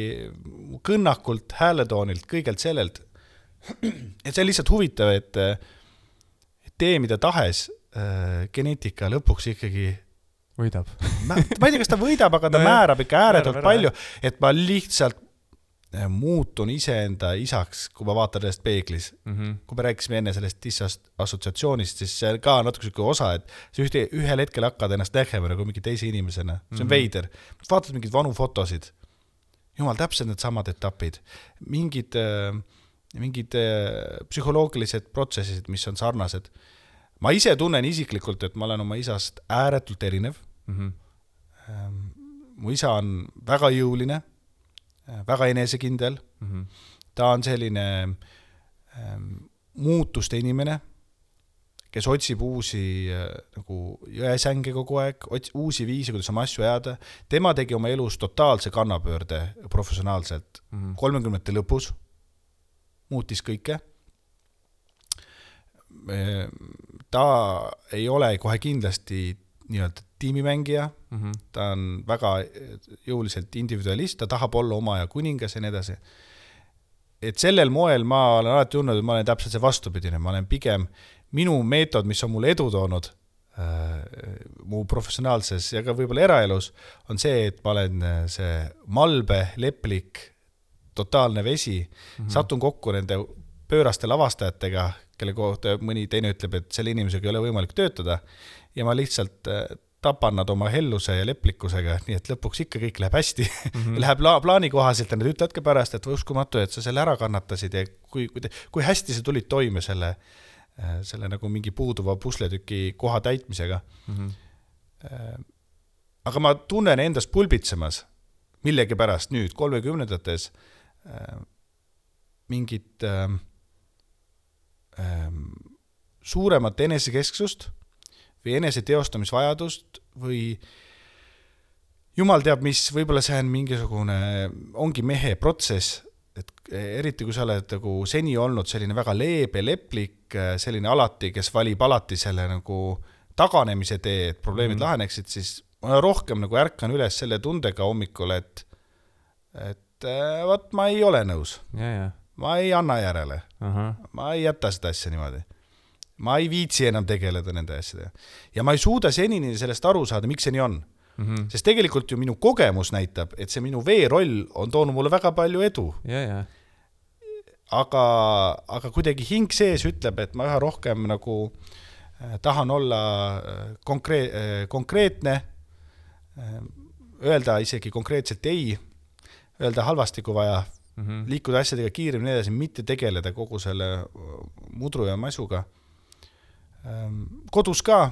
kõnnakult, hääletoonilt, kõigelt sellelt. Et see on lihtsalt huvitav, et, et tee mida tahes geneetika lõpuks ikkagi võidab. ma, ma ei tea, kas ta võidab, aga ta no määrab ikka ääretult palju, et ma lihtsalt muutun iseenda isaks, kui ma vaatan sellest peeglis. Mm-hmm. Kui me rääkisime enne sellest disassotsiatsioonist, siis see ka natuke selline osa, et see ühte, ühel hetkel hakkad ennast nägema nagu mingi teise inimesena. See on mm-hmm. veider. Vaatad mingid vanu fotosid. jumal, täpselt need samad etapid, mingid, mingid psühholoogilised protsessid, mis on sarnased. Ma ise tunnen isiklikult, et ma olen oma isast ääretult erinev. Mm-hmm. Mu isa on väga jõuline, väga enesekindel. Mm-hmm. Ta on selline ähm, muutuste inimene, kes otsib uusi nagu jõesänge kogu aeg, uusi viisi, kuidas oma asju ajada. Tema tegi oma elus totaalse kannapöörde professionaalselt. Mm-hmm. kolmekümnendate lõpus muutis kõike. Ta ei ole kohe kindlasti nii-öelda tiimimängija, mm-hmm. ta on väga jõuliselt individualist, ta tahab olla oma ja kuningas ja nii edasi. Et sellel moel ma olen alati tundnud, et ma olen täpselt see vastupidine, ma olen pigem minu meetod, mis on mulle edu toonud äh, mu professionaalses ja ka võib-olla eraelus, on see, et ma olen see malbe, leplik, totaalne vesi, mm-hmm. satun kokku nende pööraste lavastajatega, kelle kohta mõni teine ütleb, et selle inimesega ei ole võimalik töötada ja ma lihtsalt äh, tapan nad oma helluse ja leplikkusega, nii et lõpuks ikka kõik läheb hästi. Mm-hmm. Läheb la- plaani kohaselt ja nad ütledki pärast, et uskumatu, et sa selle ära kannatasid ja kui, kui, te, kui hästi sa tulid toime selle selle nagu mingi puuduva pusletüki koha täitmisega. Mm-hmm. Aga ma tunnen endast pulbitsemas millegi pärast nüüd kolmekümnendates mingit äh, äh, suuremat enesekesksust või eneseteostamisvajadust või jumal teab, mis võib-olla see on mingisugune, ongi mehe protsess, et eriti kui sa oled nagu seni olnud selline väga leebe, leplik, selline alati, kes valib alati selle nagu taganemise tee, et probleemid mm. laheneksid, siis ma rohkem nagu ärkan üles selle tundega hommikul, et, et võt, ma ei ole nõus. Ja, ja. Ma ei anna järele. Aha. Ma ei jäta seda asja niimoodi. Ma ei viitsi enam tegeleda nende asjadega. Ja ma ei suuda senini sellest aru saada, miks see nii on. Mm-hmm. Sest tegelikult ju minu kogemus näitab, et see minu veeroll on toonud mulle väga palju edu. Ja, ja. Aga, aga kuidagi hing sees ütleb, et ma üha rohkem nagu äh, tahan olla konkre- äh, konkreetne, äh, öelda isegi konkreetselt ei, öelda halvasti kui vaja, mm-hmm. liikuda asjadega kiiremini edasi, mitte tegeleda kogu selle mudru ja masuga. Ähm, kodus ka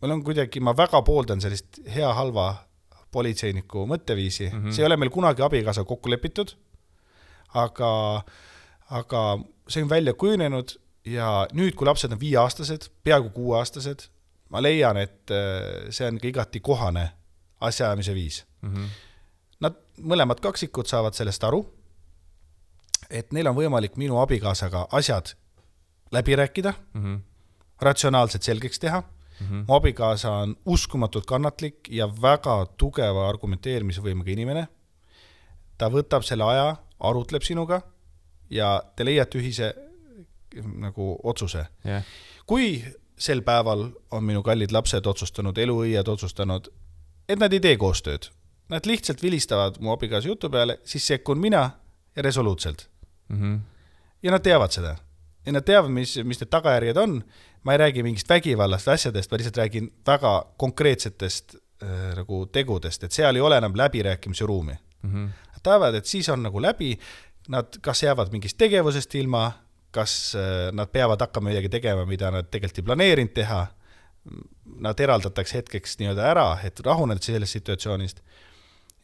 Meil on kuidagi, ma väga pooldan sellist hea halva politseiniku mõtteviisi. Mm-hmm. See ei ole meil kunagi abikaasa kokku lepitud, aga, aga see on välja kujunenud ja nüüd, kui lapsed on viieaastased, peaaegu kuueaastased, ma leian, et see on ka igati kohane asjaajamise viis. Mm-hmm. Nad mõlemad kaksikud saavad sellest aru, et neil on võimalik minu abikaasaga asjad läbi rääkida, mm-hmm. ratsionaalselt selgeks teha. Mm-hmm. Mu abikaasa on uskumatult kannatlik ja väga tugeva argumenteerimise võimega inimene. Ta võtab selle aja, arutleb sinuga ja te leiate ühise nagu otsuse. Yeah. Kui sel päeval on minu kallid lapsed otsustanud, eluõied otsustanud, et nad ei tee koostööd, nad lihtsalt vilistavad mu abikaasa jutu peale, siis sekkun mina ja resoluutselt. Mm-hmm. Ja nad teavad seda. Ja nad teavad, mis, mis need tagajärjed on. Ma ei räägi mingist vägivallast asjadest, ma lihtsalt räägin väga konkreetsetest äh, nagu tegudest, et seal ei ole enam läbirääkimise ruumi. Mm-hmm. Nad teavad, et siis on nagu läbi, nad kas jäävad mingist tegevusest ilma, kas äh, nad peavad hakkama midagi tegema, mida nad tegelikult ei planeerinud teha, nad eraldatakse hetkeks nii-öelda ära, et rahuned sellest situatsioonist.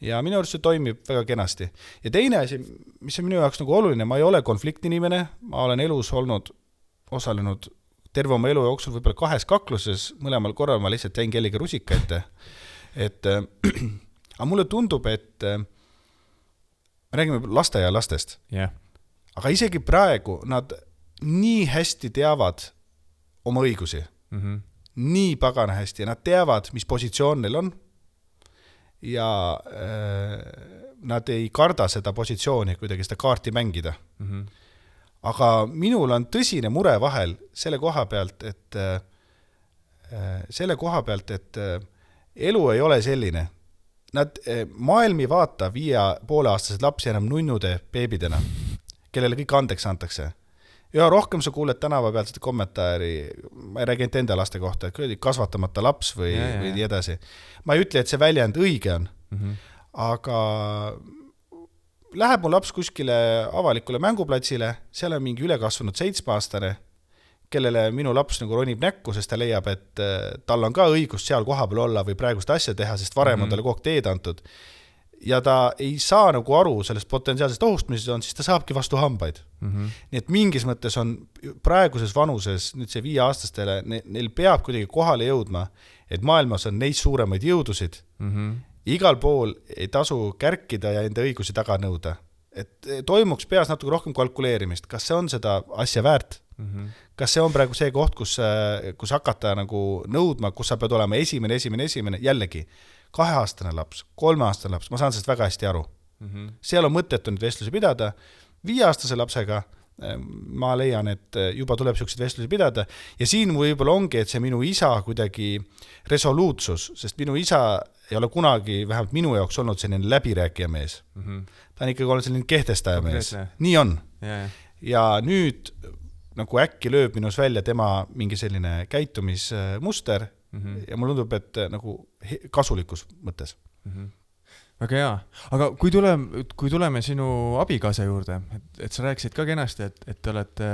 Ja minu arust see toimib väga kenasti. Ja teine asi, mis on minu jaoks nagu oluline, ma ei ole konfliktinimene, ma olen elus olnud, osalenud terve oma elu jooksul võib-olla kahes kakluses, mõlemal korral ma lihtsalt jäin kellega rusika ette. Et, äh, aga mulle tundub, et äh, me räägime laste ja lastest. Yeah. Aga isegi praegu nad nii hästi teavad oma õigusi. Mm-hmm. Nii pagana hästi. Ja nad teavad, mis positsioon neil on. Ja äh, nad ei karda seda positsiooni kuidagi seda kaarti mängida. Mm-hmm. Aga minul on tõsine mure vahel selle koha pealt, et selle koha pealt, et elu ei ole selline. Nad maailmi vaata viie pooleaastased lapsi enam nunnude beebidena, kellele kõik andeks antakse. Ja rohkem sa kuuled tänava pealt seda kommentaari, ma ei räägi enda laste kohta, et kasvatamata laps või, ja, ja. või nii edasi. Ma ei ütle, et see väljend õige on, mm-hmm. aga läheb mu laps kuskile avalikule mänguplatsile, seal on mingi ülekasvanud seitsmeaastane, kellele minu laps nagu ronib näkku, sest ta leiab, et tal on ka õigus seal kohapeal olla või praegust asja teha, sest varem mm-hmm. on talle kogu aeg teed antud. Ja ta ei saa nagu aru sellest potentsiaalsest ohust, mis on, siis ta saabki vastu hambaid. Mm-hmm. Nii et mingis mõttes on praeguses vanuses, nüüd see viieaastastele, neil peab kuidagi kohale jõudma, et maailmas on neist suuremaid jõudusid. Mm-hmm. Igal pool ei tasu kärkida ja enda õigusi taga nõuda. Et toimuks peas natuke rohkem kalkuleerimist, kas see on seda asja väärt? Mm-hmm. Kas see on praegu see koht, kus, kus hakata nagu nõudma, kus sa pead olema esimene, esimene, esimene, jällegi kaheaastane laps, kolmeaastane laps, ma saan sellest väga hästi aru. Mm-hmm. Seal on mõttetu nüüd vestlusi pidada, viieaastase lapsega ma leian, et juba tuleb selliseid vestlusi pidada ja siin võib-olla ongi, et see minu isa kuidagi resoluutsus, sest minu isa ei ole kunagi, vähemalt minu jaoks olnud selline läbirääkija mees. Mm-hmm. Ta on ikkagi olnud selline kehtestaja mees. Nii on. Yeah. Ja nüüd nagu äkki lööb minus välja tema mingi selline käitumismuster mm-hmm. ja mul tundub, et nagu kasulikus mõttes. Mm-hmm. Väga hea. Aga kui tuleme, kui tuleme sinu abikaasa juurde, et, et sa rääkisid ka kenasti, et, et te olete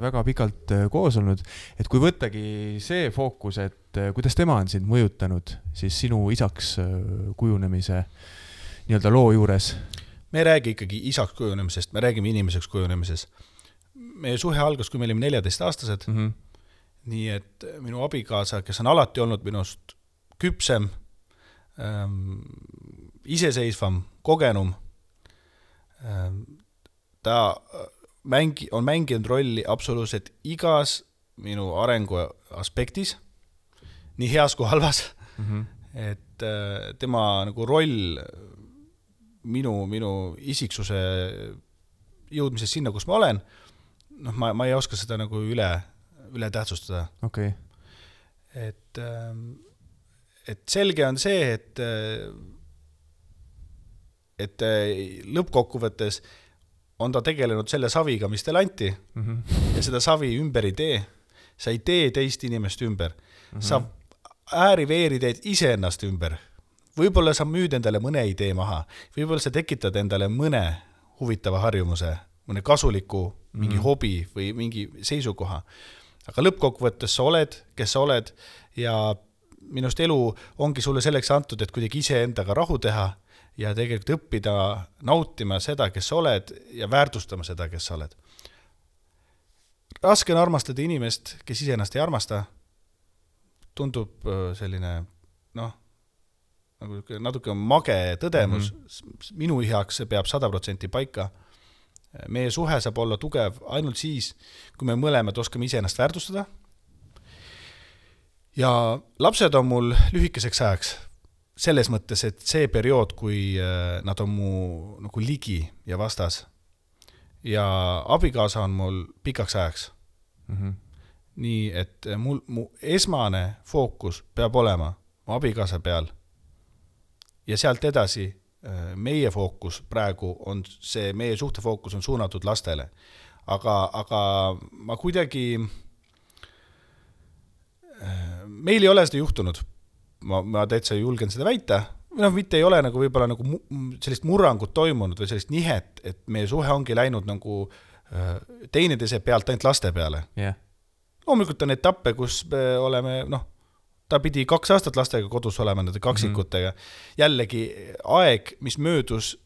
väga pikalt koos olnud, et kui võttagi see fookus, et kuidas tema on sind mõjutanud siis sinu isaks kujunemise nii-öelda loo juures? Me ei räägi ikkagi isaks kujunemisest, me räägime inimeseks kujunemisest. Meie suhe algas, kui me olime neljateist aastased, mm-hmm. nii et minu abikaasa, kes on alati olnud minust küpsem, ähm, iseseisvam, kogenum, ähm, ta mängi, on mänginud rolli absoluutselt igas minu arengu aspektis, nii heas kui halvas, mm-hmm. et äh, tema nagu roll minu, minu isiksuse jõudmises sinna, kus ma olen, noh, ma, ma ei oska seda nagu üle, üle tähtsustada. Okay. Et, et selge on see, et, et lõppkokkuvõttes on ta tegelenud selle saviga, mis teile anti mm-hmm. ja seda savi ümber ei tee. Sa ei tee teist inimest ümber. Mm-hmm. Sa ääriveeri teed ise ennast ümber. Võib-olla sa müüd endale mõne idee maha. Võib-olla sa tekitad endale mõne huvitava harjumuse, mõne kasuliku mingi mm-hmm. hobi või mingi seisukoha. Aga lõppkokkuvõttes sa oled, kes sa oled ja minust elu ongi sulle selleks antud, et kuidagi ise endaga rahu teha ja tegelikult õppida nautima seda, kes sa oled ja väärtustama seda, kes sa oled. Raske on armastada inimest, kes ise ennast ei armasta. Tundub selline, noh, nagu natuke mage tõdemus. Mm-hmm. Minu heaks peab sada protsenti paika. Meie suhe saab olla tugev ainult siis, kui me mõlemad oskame ise ennast väärtustada. Ja lapsed on mul lühikeseks ajaks. Selles mõttes, et see periood, kui nad on mu nagu ligi ja vastas ja abikaasa on mul pikaks ajaks. Mm-hmm. Nii, et mul, mu esmane fookus peab olema mu abikaasa peal ja sealt edasi meie fookus praegu on see, meie suhtefookus on suunatud lastele. Aga, aga ma kuidagi, meil ei ole seda juhtunud. Ma, ma täitsa julgen seda väita. No, mitte ei ole nagu võib-olla nagu sellist murrangut toimunud või sellist nihet, et meie suhe ongi läinud nagu teineteise pealt ainult laste peale. Yeah. Loomulikult on etappe, kus me oleme, noh, ta pidi kaks aastat lastega kodus olema, nende kaksikutega. Mm-hmm. Jällegi aeg, mis möödus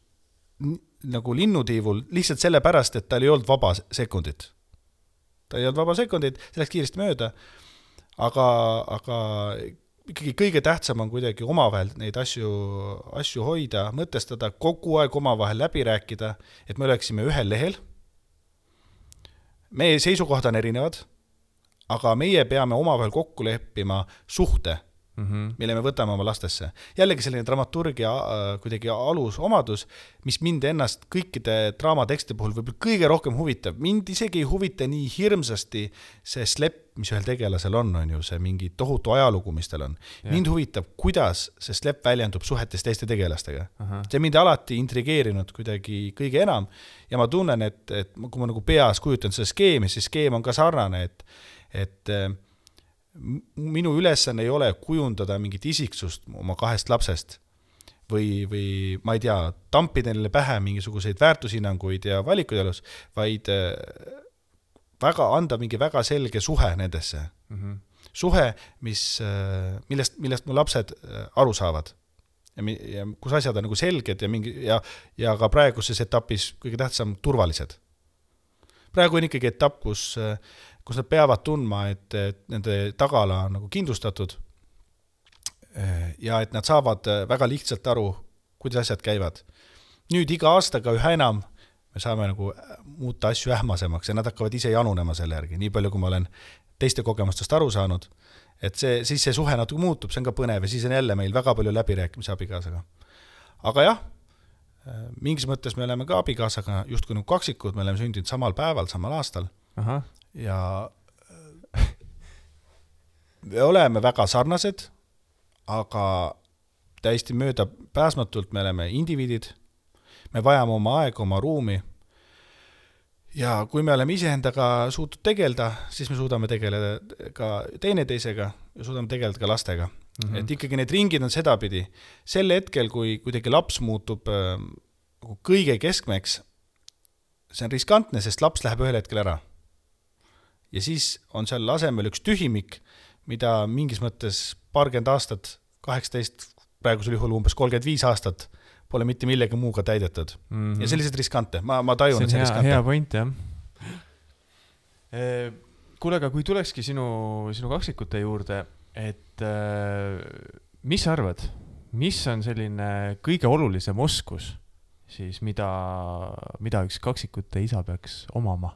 nagu linnutiivul, lihtsalt selle pärast, et tal ei olnud vaba sekundit. Ta ei olnud vaba sekundit, selleks kiiresti mööda. Aga, aga ikkagi kõige tähtsam on kuidagi omavahel neid asju, asju hoida, mõtestada, kogu aeg omavahel läbi rääkida, et me oleksime ühel lehel. Meie seisukohad on erinevad, aga meie peame omavahel kokku leppima suhte, mm-hmm. mille me võtame oma lastesse. Jällegi selline dramaturgia kuidagi alus omadus, mis mind ennast kõikide draamatekste puhul võib kõige rohkem huvitab. Mind isegi ei huvita nii hirmsasti see slepp, mis ühel tegelasel on, on ju see mingi tohutu ajalugu, mis tal on. Ja. Mind huvitab, kuidas see slepp väljendub suhetes teiste tegelastega. Aha. See mind alati intrigeerinud kuidagi kõige enam ja ma tunnen, et, et kui ma nagu peas kujutan seda skeemi, siis skeem on ka sarnane, et et minu ülesanne ei ole kujundada mingit isiksust oma kahest lapsest, või, või ma ei tea, tampida neile pähe mingisuguseid väärtushinnanguid ja valikuid elus, vaid väga anda mingi väga selge suhe nendesse. Mm-hmm. Suhe, mis, millest, millest mu lapsed aru saavad. Ja, ja kus asjad on nagu selged ja, mingi, ja, ja ka praeguses etapis kõige tähtsam turvalised. Praegu on ikkagi etapp, kus, kus nad peavad tundma, et, et nende tagala on nagu kindlustatud ja et nad saavad väga lihtsalt aru, kuidas asjad käivad. Nüüd iga aastaga üha enam me saame nagu muuta asju ähmasemaks ja nad hakkavad ise janunema selle järgi, nii palju kui ma olen teiste kogemustest aru saanud, et see, siis see suhe natuke muutub, see on ka põnev ja siis on jälle meil väga palju läbirääkimisi abikaasaga. Aga jah, mingis mõttes me oleme ka abikaasaga justkui nagu kaksikud, me oleme sündinud samal päeval, samal aastal. Aha. Ja me oleme väga sarnased, aga täiesti mööda pääsmatult me oleme indiviidid, me vajame oma aega, oma ruumi ja kui me oleme iseendaga suutnud tegeleda, siis me suudame tegeleda ka teineteisega ja suudame tegeleda ka lastega. Mm-hmm. Et ikkagi need ringid on sedapidi. Sel hetkel, kui kuidagi laps muutub äh, kõige keskmeks, see on riskantne, sest laps läheb ühel hetkel ära. Ja siis on seal asemel üks tühimik, mida mingis mõttes paarkümmend aastat, kaheksateist, praegusel juhul umbes kolmkümmend viis aastat, pole mitte millegi muuga täidetud. Mm-hmm. Ja sellised riskante. Ma, ma tajun, see on et see hea, riskante. Hea point, jah. E, kuule, aga kui tulekski sinu, sinu kaksikute juurde, et e, mis sa arvad, mis on selline kõige olulisem oskus, siis mida, mida üks kaksikute isa peaks omama?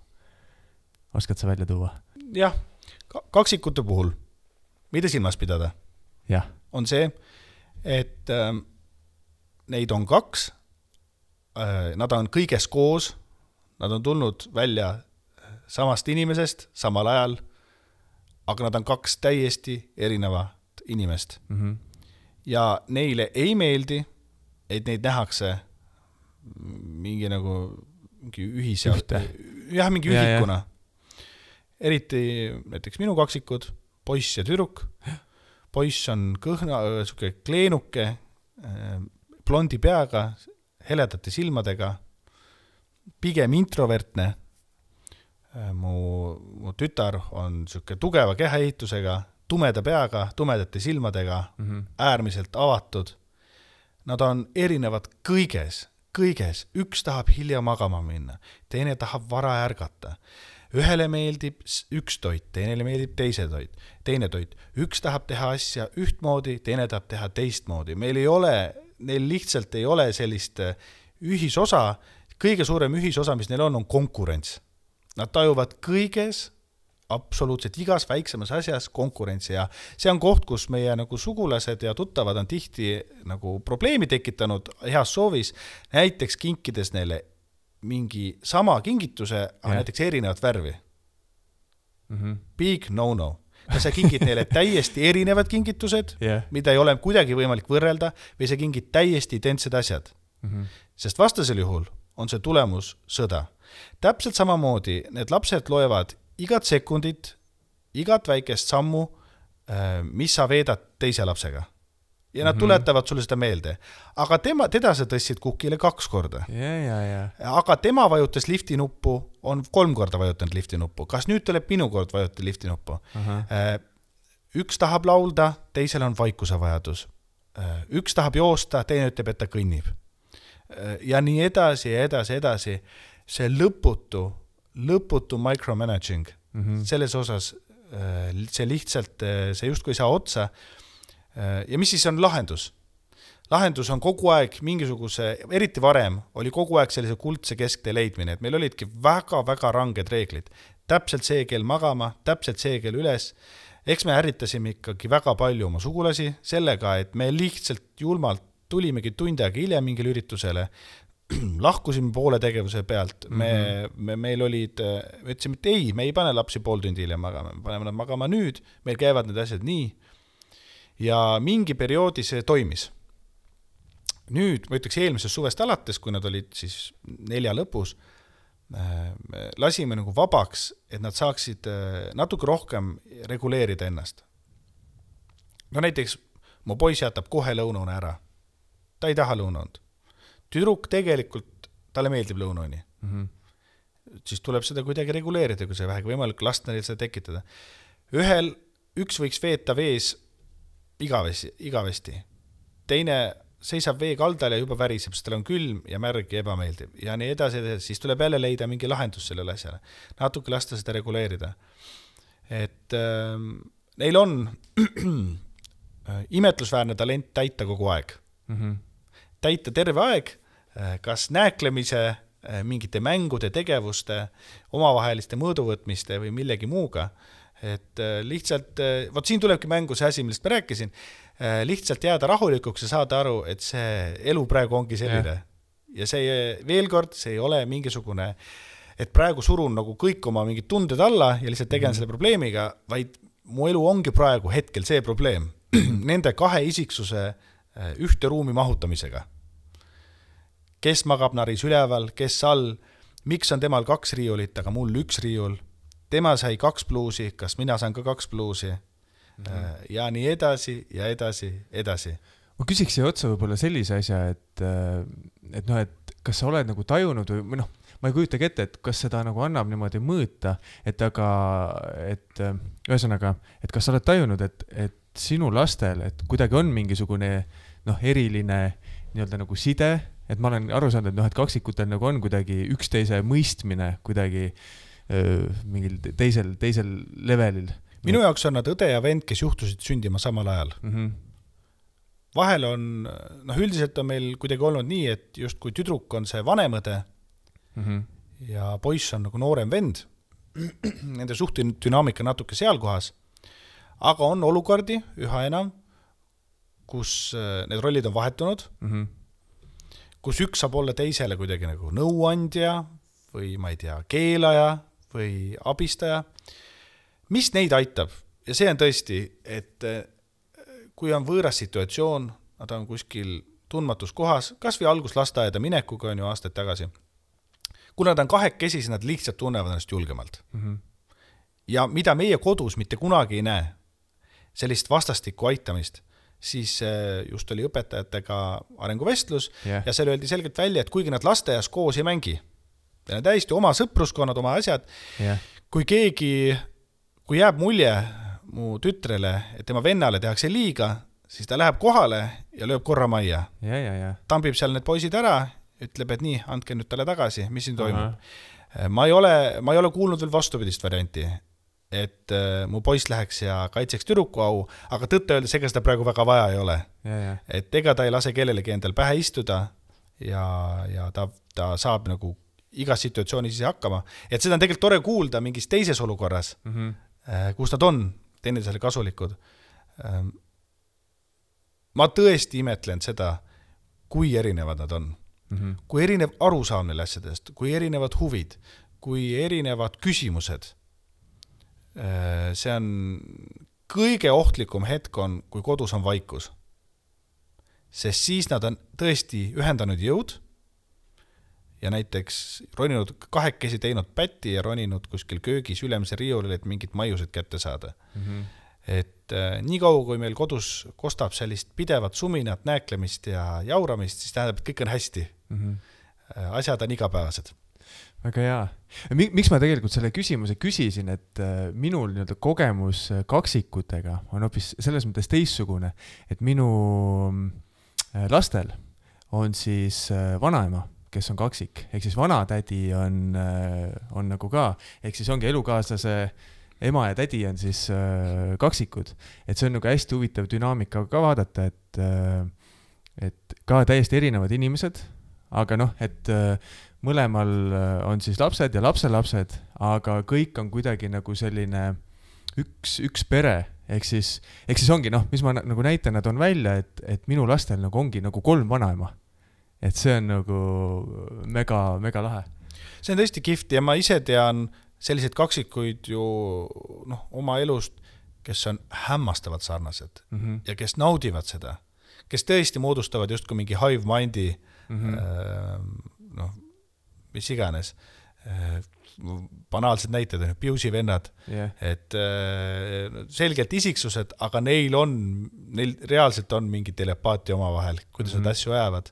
Oskad sa välja tuua? Jah, kaksikute puhul, mida silmas pidada? Jah. On see, et äh, neid on kaks, äh, nad on kõiges koos, nad on tulnud välja samast inimesest samal ajal, aga nad on kaks täiesti erinevat inimest. Mm-hmm. Ja neile ei meeldi, et neid nähakse mingi nagu mingi ühis ja, jah, mingi ja, ühikuna. Ja. Eriti näiteks minu kaksikud, poiss ja tüdruk. Poiss on kõhna, suke kleenuke, blondi peaga, heledate silmadega, pigem introvertne. Mu, mu tütar on suke tugeva kehaehitusega, tumeda peaga, tumedate silmadega, mm-hmm. äärmiselt avatud. Nad on erinevad kõiges, kõiges. Üks tahab hilja magama minna, teine tahab vara ärgata. Ühele meeldib üks toit, teine meeldib teise toit, teine toit. Üks tahab teha asja ühtmoodi, teine tahab teha teistmoodi. Meil ei ole, neil lihtsalt ei ole sellist ühisosa. Kõige suurem ühisosa, mis neil on, on konkurents. Nad tajuvad kõiges, absoluutselt igas väiksemas asjas konkurentsi ja see on koht, kus meie nagu sugulased ja tuttavad on tihti nagu probleemi tekitanud heas soovis, näiteks kinkides neile mingi sama kingituse, aga yeah. näiteks erinevat värvi. Mm-hmm. Big no-no. Kas sa kingid neile täiesti erinevad kingitused, yeah. mida ei ole kuidagi võimalik võrrelda, või sa kingid täiesti identsed asjad. Mm-hmm. Sest vastasel juhul on see tulemus sõda. Täpselt samamoodi need lapsed loevad igat sekundit, igat väikest sammu, mis sa veedad teise lapsega. Ja nad tuletavad sulle seda meelde. Aga tema, teda sa tõssid kukile kaks korda. Ja, ja, ja. Aga tema vajutas lifti nuppu, on kolm korda vajutanud lifti nuppu. Kas nüüd tuleb minu kord vajutada lifti nuppu? Uh-huh. Üks tahab laulda, teisel on vaikuse vajadus. Üks tahab joosta, teine ütleb, et ta kõnnib. Ja nii edasi ja edasi, edasi. See lõputu, lõputu micromanaging. Uh-huh. Selles osas see lihtsalt, see justkui ei saa otsa. Ja mis siis on lahendus? Lahendus on kogu aeg mingisuguse, eriti varem, oli kogu aeg sellise kuldse kesktee leidmine, et meil olidki väga-väga ranged reeglid. Täpselt see kell magama, täpselt see kell üles. Eks me ärritasime ikkagi väga palju oma sugulasi sellega, et me lihtsalt julmalt tulimegi tund aega hiljem mingile üritusele, lahkusime poole tegevuse pealt, me, mm-hmm. me, meil olid, me ütlesime, et ei, me ei pane lapsi pool tundi hiljem magama, me paneme nad magama nüüd, meil käivad need asjad nii, ja mingi perioodi see toimis. Nüüd, ma ütleks eelmisest suvest alates, kui nad olid siis nelja lõpus, lasime nagu vabaks, et nad saaksid natuke rohkem reguleerida ennast. No näiteks, mu poiss jätab kohe lõunune ära. ta ei taha lõunaund. Tüdruk tegelikult, talle meeldib lõunauni. Mm-hmm. Siis tuleb seda kuidagi reguleerida, kui see vähegi võimalik lasta neil seda tekitada. Ühel, üks võiks veeta vees igavesti, igavesti. Teine seisab vee kaldal ja juba väriseb, sest tal on külm ja märg ja ebameeldiv. Ja nii edasi, edasi, siis tuleb jälle leida mingi lahendus sellele asjale. Natuke lasta seda reguleerida. Et äh, neil on imetlusväärne talent täita kogu aeg. Mm-hmm. Täita terve aeg, kas nääklemise, mingite mängude, tegevuste, omavaheliste mõõduvõtmiste või millegi muuga. Et lihtsalt, võt siin tulebki mängu see asi, millest ma rääkisin, lihtsalt jääda rahulikuks ja saada aru, et see elu praegu ongi selline. Ja, ja see veel kord, see ei ole mingisugune, et praegu surun nagu kõik oma mingid tunded alla ja lihtsalt tegelen mm-hmm. selle probleemiga, vaid mu elu ongi praegu hetkel see probleem. Nende kahe isiksuse ühte ruumi mahutamisega. Kes magab naris üleval, kes all, miks on temal kaks riiulit, aga mul üks riiul, tema sai kaks pluusi, kas mina saan ka kaks pluusi, mm-hmm. ja nii edasi ja edasi, edasi. Ma küsiks siia otsa võib-olla sellise asja, et, et, no, et kas sa oled nagu tajunud või noh, ma ei kujutagi ette, et kas seda nagu annab niimoodi mõõta, et aga, et ühesõnaga, et kas sa oled tajunud, et, et sinu lastel, et kuidagi on mingisugune noh, eriline nii-öelda nagu side, et ma olen aru saanud, et noh, et kaksikutel nagu on kuidagi üksteise mõistmine kuidagi öö, mingil teisel, teisel levelil. Minu jaoks on nad õde ja vend, kes juhtusid sündima samal ajal. Mm-hmm. Vahel on, noh üldiselt on meil kuidagi olnud nii, et just kui tüdruk on see vanem õde mm-hmm. ja poiss on nagu noorem vend, nende suhtedünaamika natuke seal kohas, aga on olukordi üha enam, kus need rollid on vahetunud, mm-hmm. kus üks saab olla teisele kuidagi nagu nõuandja või ma ei tea, keelaja või abistaja. Mis neid aitab? Ja see on tõesti, et kui on võõras situatsioon, nad on kuskil tundmatus kohas, kas või algus lasteaeda minekuga on ju aastaid tagasi. Kui nad on kahekesi, siis nad lihtsalt tunnevad ennast julgemalt. Mm-hmm. Ja mida meie kodus mitte kunagi ei näe, sellist vastastikku aitamist, siis just oli õpetajatega arenguvestlus yeah. ja seal öeldi selgelt välja, et kuigi nad lasteaias koos ei mängi, ja täiesti oma sõpruskonnad, oma asjad, yeah. kui keegi, kui jääb mulje mu tütrele, et tema vennale tehakse liiga, siis ta läheb kohale ja lööb korra majja. Yeah, yeah, yeah. Tampib seal need poisid ära, ütleb, et nii, andke nüüd talle tagasi, mis siin toimub. Uh-huh. Ma ei ole, ma ei ole kuulnud veel vastupidist varianti, et äh, mu poiss läheks ja kaitseks tüdruku au, aga tõtta öeldes, ega seda praegu väga vaja ei ole. Ja, ja. Et ega ta ei lase kellelegi endal pähe istuda ja, ja ta, ta saab nagu igas situatsioonis ise hakkama. Et seda on tegelikult tore kuulda mingis teises olukorras, mm-hmm. äh, kus nad on teineteisele kasulikud. Ähm, ma tõesti imetlen seda, kui erinevad nad on. Mm-hmm. Kui erinev arusaam neil asjadest, kui erinevad huvid, kui erinevad küsimused. See on kõige ohtlikum hetk on, kui kodus on vaikus. Sest siis nad on tõesti ühendanud jõud ja näiteks roninud kahekesi teinud pätti ja roninud kuskil köögis ülemise riiulil, et mingid maiused kätte saada. Mm-hmm. Et äh, nii kaua, kui meil kodus kostab sellist pidevat suminat, nääklemist ja jauramist, siis tähendab, et kõik on hästi. Mm-hmm. Asjad on igapäevased. Väga hea. Miks ma tegelikult selle küsimuse küsisin, et minul nii-öelda kogemus kaksikutega on hoopis selles mõttes teissugune, et minu lastel on siis vanaema, kes on kaksik, ehk siis vanatädi on, on nagu ka, ehk siis ongi elukaaslase ema ja tädi on siis kaksikud, et see on nagu hästi huvitav dünaamika ka vaadata, et, et ka täiesti erinevad inimesed, aga noh, et mõlemal on siis lapsed ja lapselapsed, aga kõik on kuidagi nagu selline üks, üks pere, ehk siis, ehk siis ongi, noh, mis ma nagu näitan, nad on välja, et, et minu lastel nagu ongi nagu kolm vanaema. Et see on nagu mega, mega lahe. See on tõesti kihvt ja ma ise tean sellised kaksikuid ju noh, oma elust, kes on hämmastavad sarnased mm-hmm. ja kes naudivad seda, kes tõesti moodustavad just kui mingi hive mindi mm-hmm. äh, noh, mis iganes. banaalsed näited, Piusi vennad, yeah. et selgelt isiksused, aga neil on, neil reaalselt on mingi telepaatia oma vahel, kuidas mm-hmm. nad asju ajavad.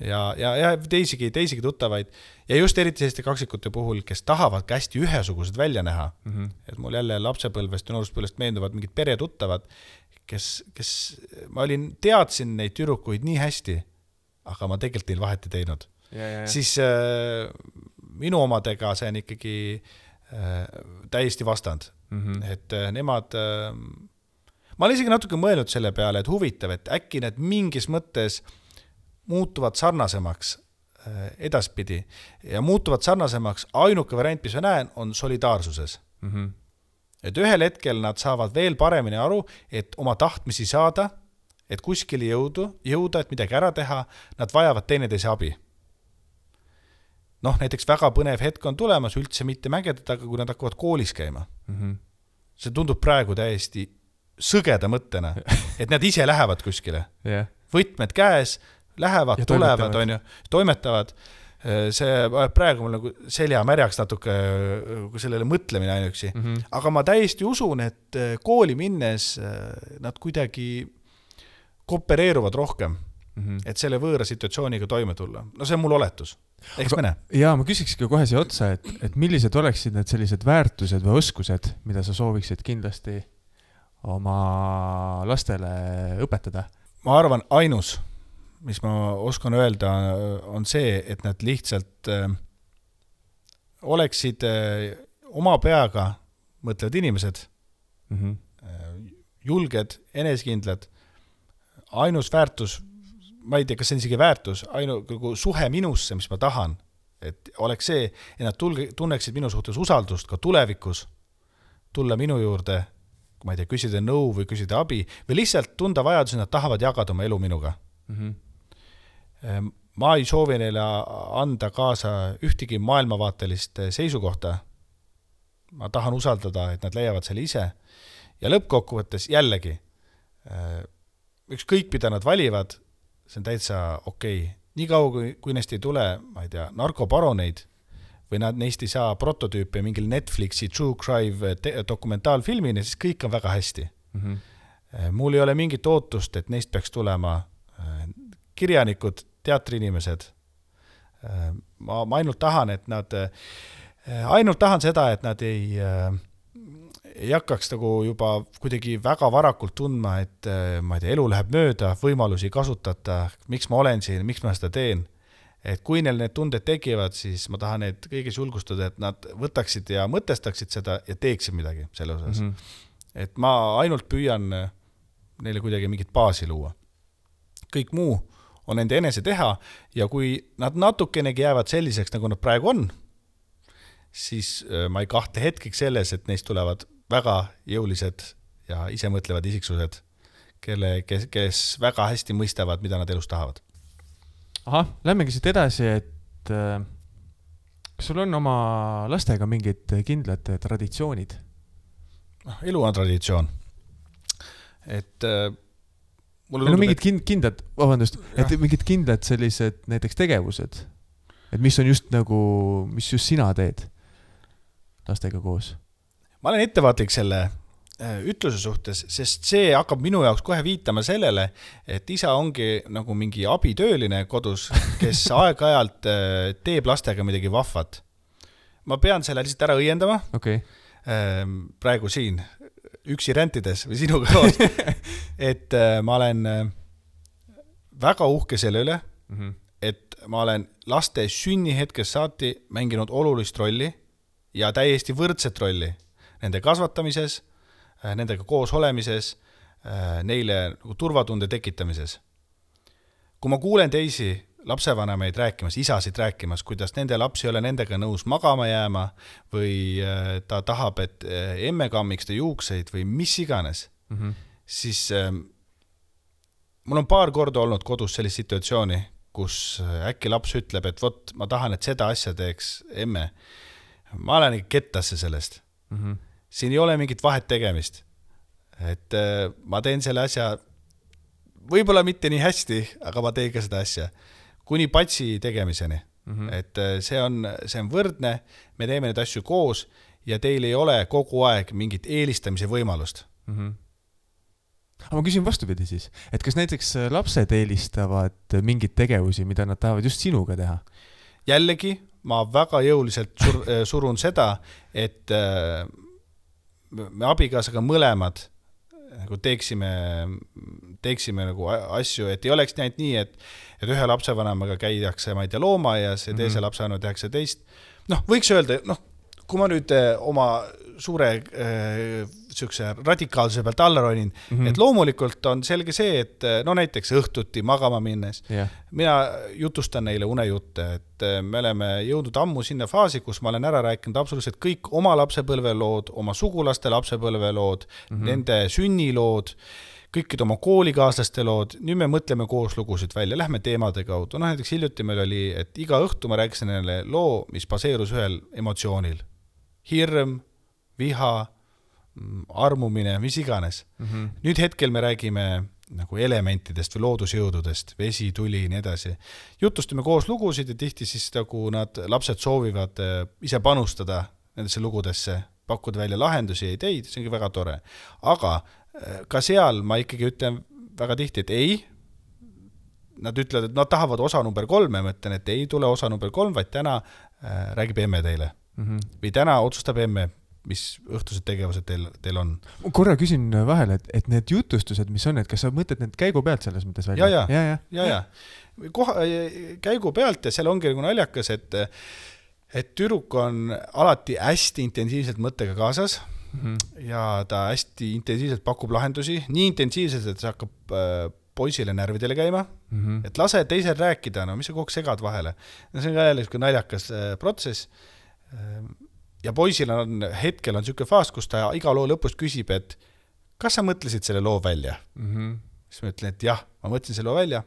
Ja, ja, ja teisigi, teisigi tuttavaid. Ja just eriti selliste kaksikute puhul, kes tahavad hästi ühesugused välja näha. Mm-hmm. Et mul jälle lapsepõlvest ja nooruspõlvest meenuvad mingid peretuttavad, kes, kes ma olin, teadsin neid tüdrukuid nii hästi, aga ma tegelikult neil vahet ei teinud. Ja, ja, ja. Siis äh, minu omadega see on ikkagi äh, täiesti vastand. Mm-hmm. Et äh, nemad... Äh, ma olen isegi natuke mõelnud selle peale, et huvitav, et äkki need mingis mõttes muutuvad sarnasemaks edaspidi ja muutuvad sarnasemaks, ainuke variant, mis ma näen, on solidaarsuses. Mm-hmm. Et ühel hetkel nad saavad veel paremini aru, et oma tahtmisi saada, et kuskile jõudu, jõuda, et midagi ära teha, nad vajavad teineteise abi. Noh, näiteks väga põnev hetk on tulemas, üldse mitte mägedada, aga kui nad hakkavad koolis käima. Mm-hmm. See tundub praegu täiesti sõgeda mõttena, et nad ise lähevad kuskile. Yeah. Võtmed käes, lähevad, ja tulevad, on ju, toimetavad. See praegu mul nagu selja märjaks natuke sellele mõtlemine ainuksi. Mm-hmm. Aga ma täiesti usun, et kooli minnes nad kuidagi koopereeruvad rohkem, mm-hmm. et selle võõra situatsiooniga toime tulla. No see on mul oletus. Eks mene? Jaa, ma küsikski kohe siia otsa, et, et millised oleksid need sellised väärtused või oskused, mida sa sooviksid kindlasti oma lastele õpetada? Ma arvan, ainus mis ma oskan öelda, on see, et nad lihtsalt äh, oleksid äh, oma peaga mõtlevad inimesed, mm-hmm. äh, julged, enesekindlad, ainus väärtus, ma ei tea, kas see on isegi väärtus, ainu, suhe minusse, mis ma tahan, et oleks see, et nad tulge, tunneksid minu suhtes usaldust ka tulevikus, tulla minu juurde, kui ma ei tea, küsida nõu või küsida abi, või lihtsalt tunda vajadus, et nad tahavad jagada oma elu minuga. Mm-hmm. Ma ei soovi neile anda kaasa ühtegi maailmavaatelist seisukohta. Ma tahan usaldada, et nad leiavad selle ise. Ja lõppkokkuvõttes jällegi, ükskõik mida nad valivad, see on täitsa okei. Nii kaua, kui, kui neist ei tule, ma ei tea, narkobaroneid või nad neist ei saa prototüüpe mingil Netflixi True Crime dokumentaalfilmini, siis kõik on väga hästi. Mm-hmm. Mul ei ole mingit ootust, et neist peaks tulema kirjanikud, teatriinimesed. Ma, ma ainult tahan, et nad, ainult tahan seda, et nad ei, ei hakkaks nagu juba kuidagi väga varakult tundma, et ma ei tea, elu läheb mööda, võimalusi kasutata, miks ma olen siin, miks ma seda teen. Et kui neil need tunded tekivad, siis ma tahan neid kõigis julgustada, et nad võtaksid ja mõtestaksid seda ja teeksid midagi selle osas. Mm-hmm. Et ma ainult püüan neile kuidagi mingit baasi luua. Kõik muu on nende enese teha ja kui nad natukenegi jäävad selliseks, nagu nad praegu on, siis ma ei kahtle hetkeks selles, et neist tulevad väga jõulised ja ise mõtlevad isiksused, kelle, kes, kes väga hästi mõistavad, mida nad elus tahavad. Aha, lähmegi siit edasi, et äh, kas sul on oma lastega mingid kindlad traditsioonid? Elu on traditsioon. Et äh, no tundub, mingid et... kindlad, vabandust, et mingid kindlad sellised näiteks tegevused, et mis on just nagu, mis just sina teed lastega koos? Ma olen ettevaatlik selle ütluse suhtes, sest see hakkab minu jaoks kohe viitama sellele, et isa ongi nagu mingi abitööline kodus, kes aeg-ajalt teeb lastega midagi vahvat. Ma pean selle lihtsalt ära õiendama. Okay. Praegu siin üksi rentides või sinuga koos, et ma olen väga uhke selle üle, mm-hmm. et ma olen laste sünnihetkest saati mänginud olulist rolli ja täiesti võrdset rolli nende kasvatamises, nendega koos olemises, neile nagu turvatunde tekitamises. Kui ma kuulen teisi lapsevanemaid rääkimas, isasid rääkimas, kuidas nende laps ei ole nendega nõus magama jääma või ta tahab, et emme kammiks ta juukseid või mis iganes, mm-hmm. siis äh, mul on paar korda olnud kodus sellist situatsiooni, kus äkki laps ütleb, et vot, ma tahan, et seda asja teeks emme. Ma olen ikka kettasse sellest. Mm-hmm. Siin ei ole mingit vahet tegemist. Et äh, ma teen selle asja võib-olla mitte nii hästi, aga ma teen ka seda asja. Kuni patsi tegemiseni. Mm-hmm. Et see on, see on võrdne, me teeme neid asju koos ja teil ei ole kogu aeg mingit eelistamise võimalust. Mm-hmm. Aga ma küsin vastupidi siis, et kas näiteks lapsed eelistavad mingid tegevusi, mida nad tahavad just sinuga teha? Jällegi, ma väga jõuliselt sur, surun seda, et me abikaasaga mõlemad nagu teeksime, teeksime nagu asju, et ei oleks näinud nii, et, et ühe lapsevanemaga käidakse, ma ei tea, loomaaias ja teise mm-hmm. lapsevanemaga tehakse teist. Noh, võiks öelda, noh, kui ma nüüd oma suure äh, sükse radikaalsuse pealt alla ronin, mm-hmm. et loomulikult on selge see, et no näiteks õhtuti magama minnes, yeah. mina jutustan neile unejutte, et me oleme jõudnud ammu sinna faasi, kus ma olen ära rääkinud absoluutselt kõik oma lapsepõlvelood, oma sugulaste lapsepõlvelood, mm-hmm. nende sünnilood, kõikid oma koolikaaslaste lood, nüüd me mõtleme koos lugusid välja, lähme teemade kaudu. No näiteks hiljuti meil oli, et iga õhtu ma rääkisin neile loo, mis baseerus ühel emotsioonil. Hirm, viha, armumine, mis iganes. Mm-hmm. Nüüd hetkel me räägime nagu elementidest või loodusjõududest, vesi, tuli ja nii edasi. Jutustame koos lugusid ja tihti siis nagu nad lapsed soovivad ise panustada nendesse lugudesse, pakkuda välja lahendusi ja ideid, see on väga tore. Aga ka seal ma ikkagi ütlen väga tihti, et ei, nad ütlevad, et nad tahavad osa number kolm, ma ütlen, et ei tule osa number kolm, vaid täna äh, räägib emme teile. Mm-hmm. Või täna otsustab emme, mis õhtused tegevused teil, teil on. Korra küsin vahele, et, et need jutustused, mis on, et kas sa mõtled need käigu pealt selles mõttes välja? Ja, ja, ja, ja, ja. Koha, käigu pealt ja seal ongi nagu naljakas, et, et tüdruk on alati hästi intensiivselt mõttega kaasas. Mm-hmm. Ja ta hästi intensiivselt pakub lahendusi, nii intensiivselt, et see hakkab äh, poisile närvidele käima, mm-hmm. et lase teisel rääkida, no mis sa kogu segad vahele. No see on ka jälle naljakas äh, protsess. Äh, ja poisil on hetkel on selline faas, kus ta iga loo lõpus küsib, et kas sa mõtlesid selle loo välja? Mm-hmm. Siis ma ütlen, et jah, ma mõtlesin selle loo välja.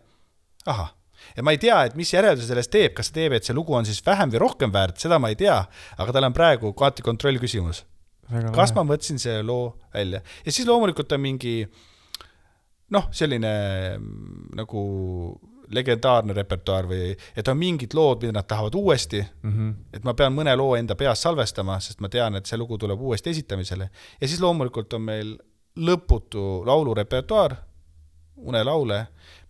Aha. Ja ma ei tea, et mis järelduse sellest teeb, kas see teeb, et see lugu on siis vähem või rohkem väärt, seda ma ei tea, aga tal on praegu kaati kontroll küsimus. Väga kas vahe. Ma mõtlesin see loo välja. Ja siis loomulikult on mingi noh, selline nagu legendaarne repertuaar või et on mingid lood, mida nad tahavad uuesti, mm-hmm. et ma pean mõne loo enda peas salvestama, sest ma tean, et see lugu tuleb uuesti esitamisele. Ja siis loomulikult on meil lõputu laulurepertuaar, unelaule.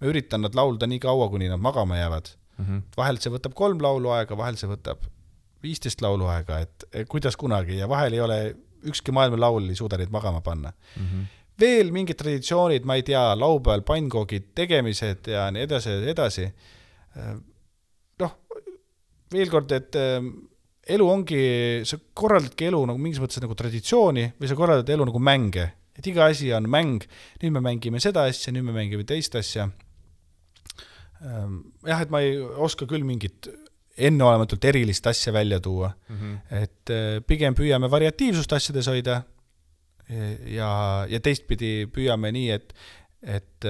Me üritan nad laulda nii kaua, kuni nad magama jäävad. Mm-hmm. Vahel see võtab kolm laulu aega, vahel see võtab viisteist laulu aega, et kuidas kunagi ja vahel ei ole ükski maailma laul ei suuda neid magama panna. Mm-hmm. Veel mingid traditsioonid, ma ei tea, laupäeval pannkoogid tegemised ja nii edasi ja edasi. Noh, veel kord, et elu ongi, sa korraldadki elu nagu mingis mõttes nagu traditsiooni või sa korraldad elu nagu mänge. Et iga asi on mäng, nüüd me mängime seda asja, nüüd me mängime teist asja. Jah, et ma ei oska küll mingit enneolematult erilist asja välja tuua. Mm-hmm. Et pigem püüame variatiivsust asjades hoida ja, ja teistpidi püüame nii, et, et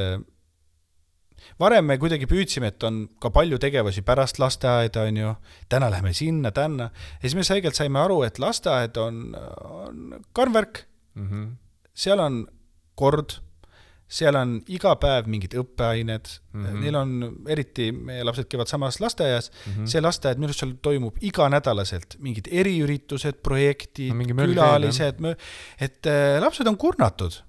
varem me kuidagi püüdsime, et on ka palju tegevusi pärast lasteaeda, on ju, täna läheme sinna, tänna. Ja siis me selgelt saime aru, et lasteaed on, on karmvärk, mm-hmm. seal on kord, seal on iga päev mingid õppeained, mm-hmm. neil on eriti, meie lapsed käivad samas lasteaias, mm-hmm. see lasteaed, millest seal toimub iga nädalaselt, mingid eriüritused, projektid, no, külalised, mõ... et äh, lapsed on kurnatud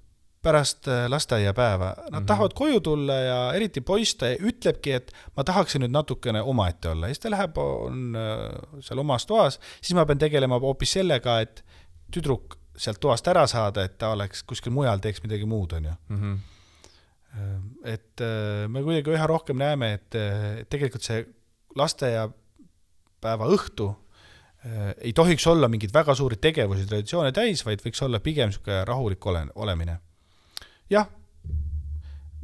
pärast äh, lasteaiapäeva. Nad mm-hmm. tahavad koju tulla ja eriti poista ja ütlebki, et ma tahaksin nüüd natukene omaette olla. Ja siis ta läheb on, äh, seal omas toas, siis ma pean tegelema hoopis sellega, et tüdruk sealt toast ära saada, et ta oleks kuskil mujal teeks midagi muud, on ju. Mm-hmm. Et me kuidagi üha rohkem näeme, et tegelikult see lasteaiapäeva õhtu ei tohiks olla mingid väga suuri tegevusi, traditsioone täis, vaid võiks olla pigem selline rahulik ole, olemine. Jah,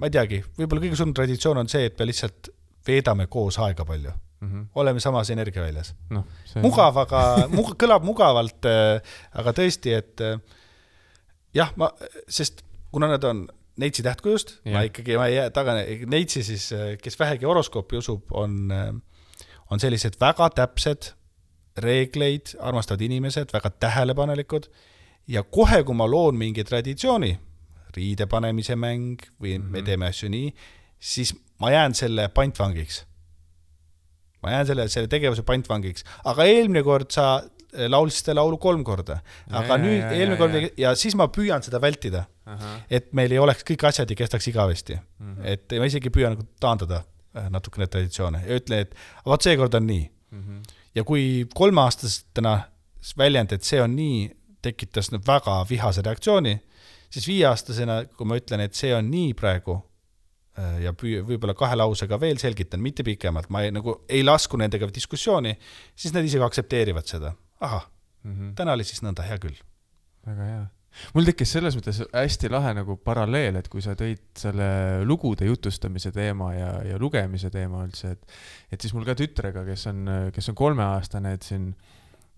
ma ei teagi, võib-olla kõige suurem traditsioon on see, et me lihtsalt veedame koos aega palju. Mm-hmm. Oleme samas energiaväljas. No, see... Mugav, aga mug, kõlab mugavalt, aga tõesti, et jah, ma, sest kuna nad on neitsi tähtkujust, yeah. ma ikkagi ma ei jää taga, neitsi siis, kes vähegi horoskoopi usub, on, on sellised väga täpsed reegleid, armastavad inimesed, väga tähelepanelikud ja kohe, kui ma loon mingi traditsiooni, riide panemise mäng või mm-hmm. me teeme asju nii, siis ma jään selle pantvangiks. ma jään selle, selle tegevuse pantvangiks, aga eelmine kord sa laulsid seda laulu kolm korda, aga ja, nüüd ja, eelmine ja, kord ja. ja siis ma püüan seda vältida, Aha. et meil ei oleks kõik asjad ja kestaks igavesti, mm-hmm. et ma isegi püüan nagu taandada natukene traditsioone ja ütlen, et vaat see kord on nii. Mm-hmm. Ja kui kolmeaastastena väljend, et see on nii, tekitas väga vihase reaktsiooni, siis viieaastasena, kui ma ütlen, et see on nii praegu ja püü, võib-olla kahe lausega veel selgitan, mitte pikemalt, ma ei, nagu, ei lasku nendega diskussiooni, siis nad isegi aksepteerivad seda. Aha, mm-hmm. täna oli siis nõnda, hea küll. Väga hea. Mul tekkis selles mõttes hästi lahe nagu paralleel, et kui sa tõid selle lugude jutustamise teema ja, ja lugemise teema üldse, et, et siis mul ka tütrega, kes on, kes on kolmeaastane, et siin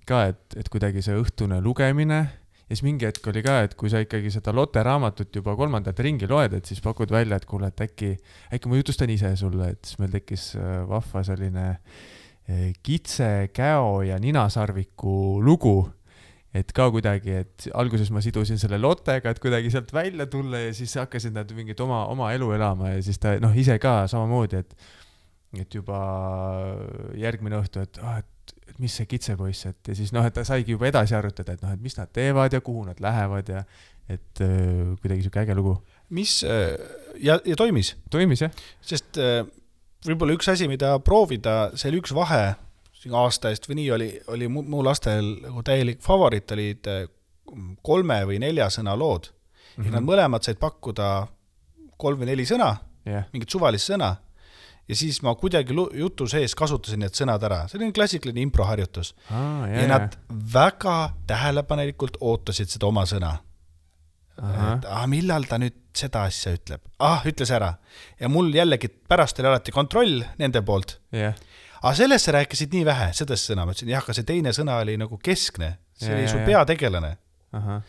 ka, et, et kuidagi see õhtune lugemine ja siis mingi hetk oli ka, et kui sa ikkagi seda Lotte raamatut juba kolmandat ringi loed, et siis pakud välja, et kuule, et äkki, äkki ma jutustan ise sulle, et siis meil tekkis vahva selline kitse, käo ja ninasarviku lugu, et ka kuidagi, et alguses ma sidusin selle Lottega, et kuidagi sealt välja tulla ja siis hakkasid nad mingit oma, oma elu elama ja siis ta noh, ise ka samamoodi, et, et juba järgmine õhtu, et, oh, et et mis see kitsepoiss, et ja siis noh, et ta saigi juba edasi arutada, et noh, et mis nad teevad ja kuhu nad lähevad ja et äh, kuidagi siuke äge lugu. Mis äh, ja, ja toimis? Toimis, jah. Sest äh, võib-olla üks asi, mida proovida, see oli üks vahe aasta eest või nii oli, oli mu, mu lastel nagu täielik favorit olid kolme või nelja sõna lood. Mm-hmm. Ja nad mõlemad said pakkuda kolm või neli sõna, yeah. mingit suvalist sõna. Ja siis ma kuidagi jutu sees kasutasin need sõnad ära. See oli klassikaline improharjutus. Ah, yeah, ja nad väga tähelepanelikult ootasid seda oma sõna. Et, ah, millal ta nüüd seda asja ütleb? Ah, ütles ära. Ja mul jällegi pärast oli alati kontroll nende poolt. Yeah. Aga sellesse rääkisid nii vähe, sellest sõna. Ma ütlesin, jah, aga see teine sõna oli nagu keskne. See yeah, oli su yeah, peategelane. Aha.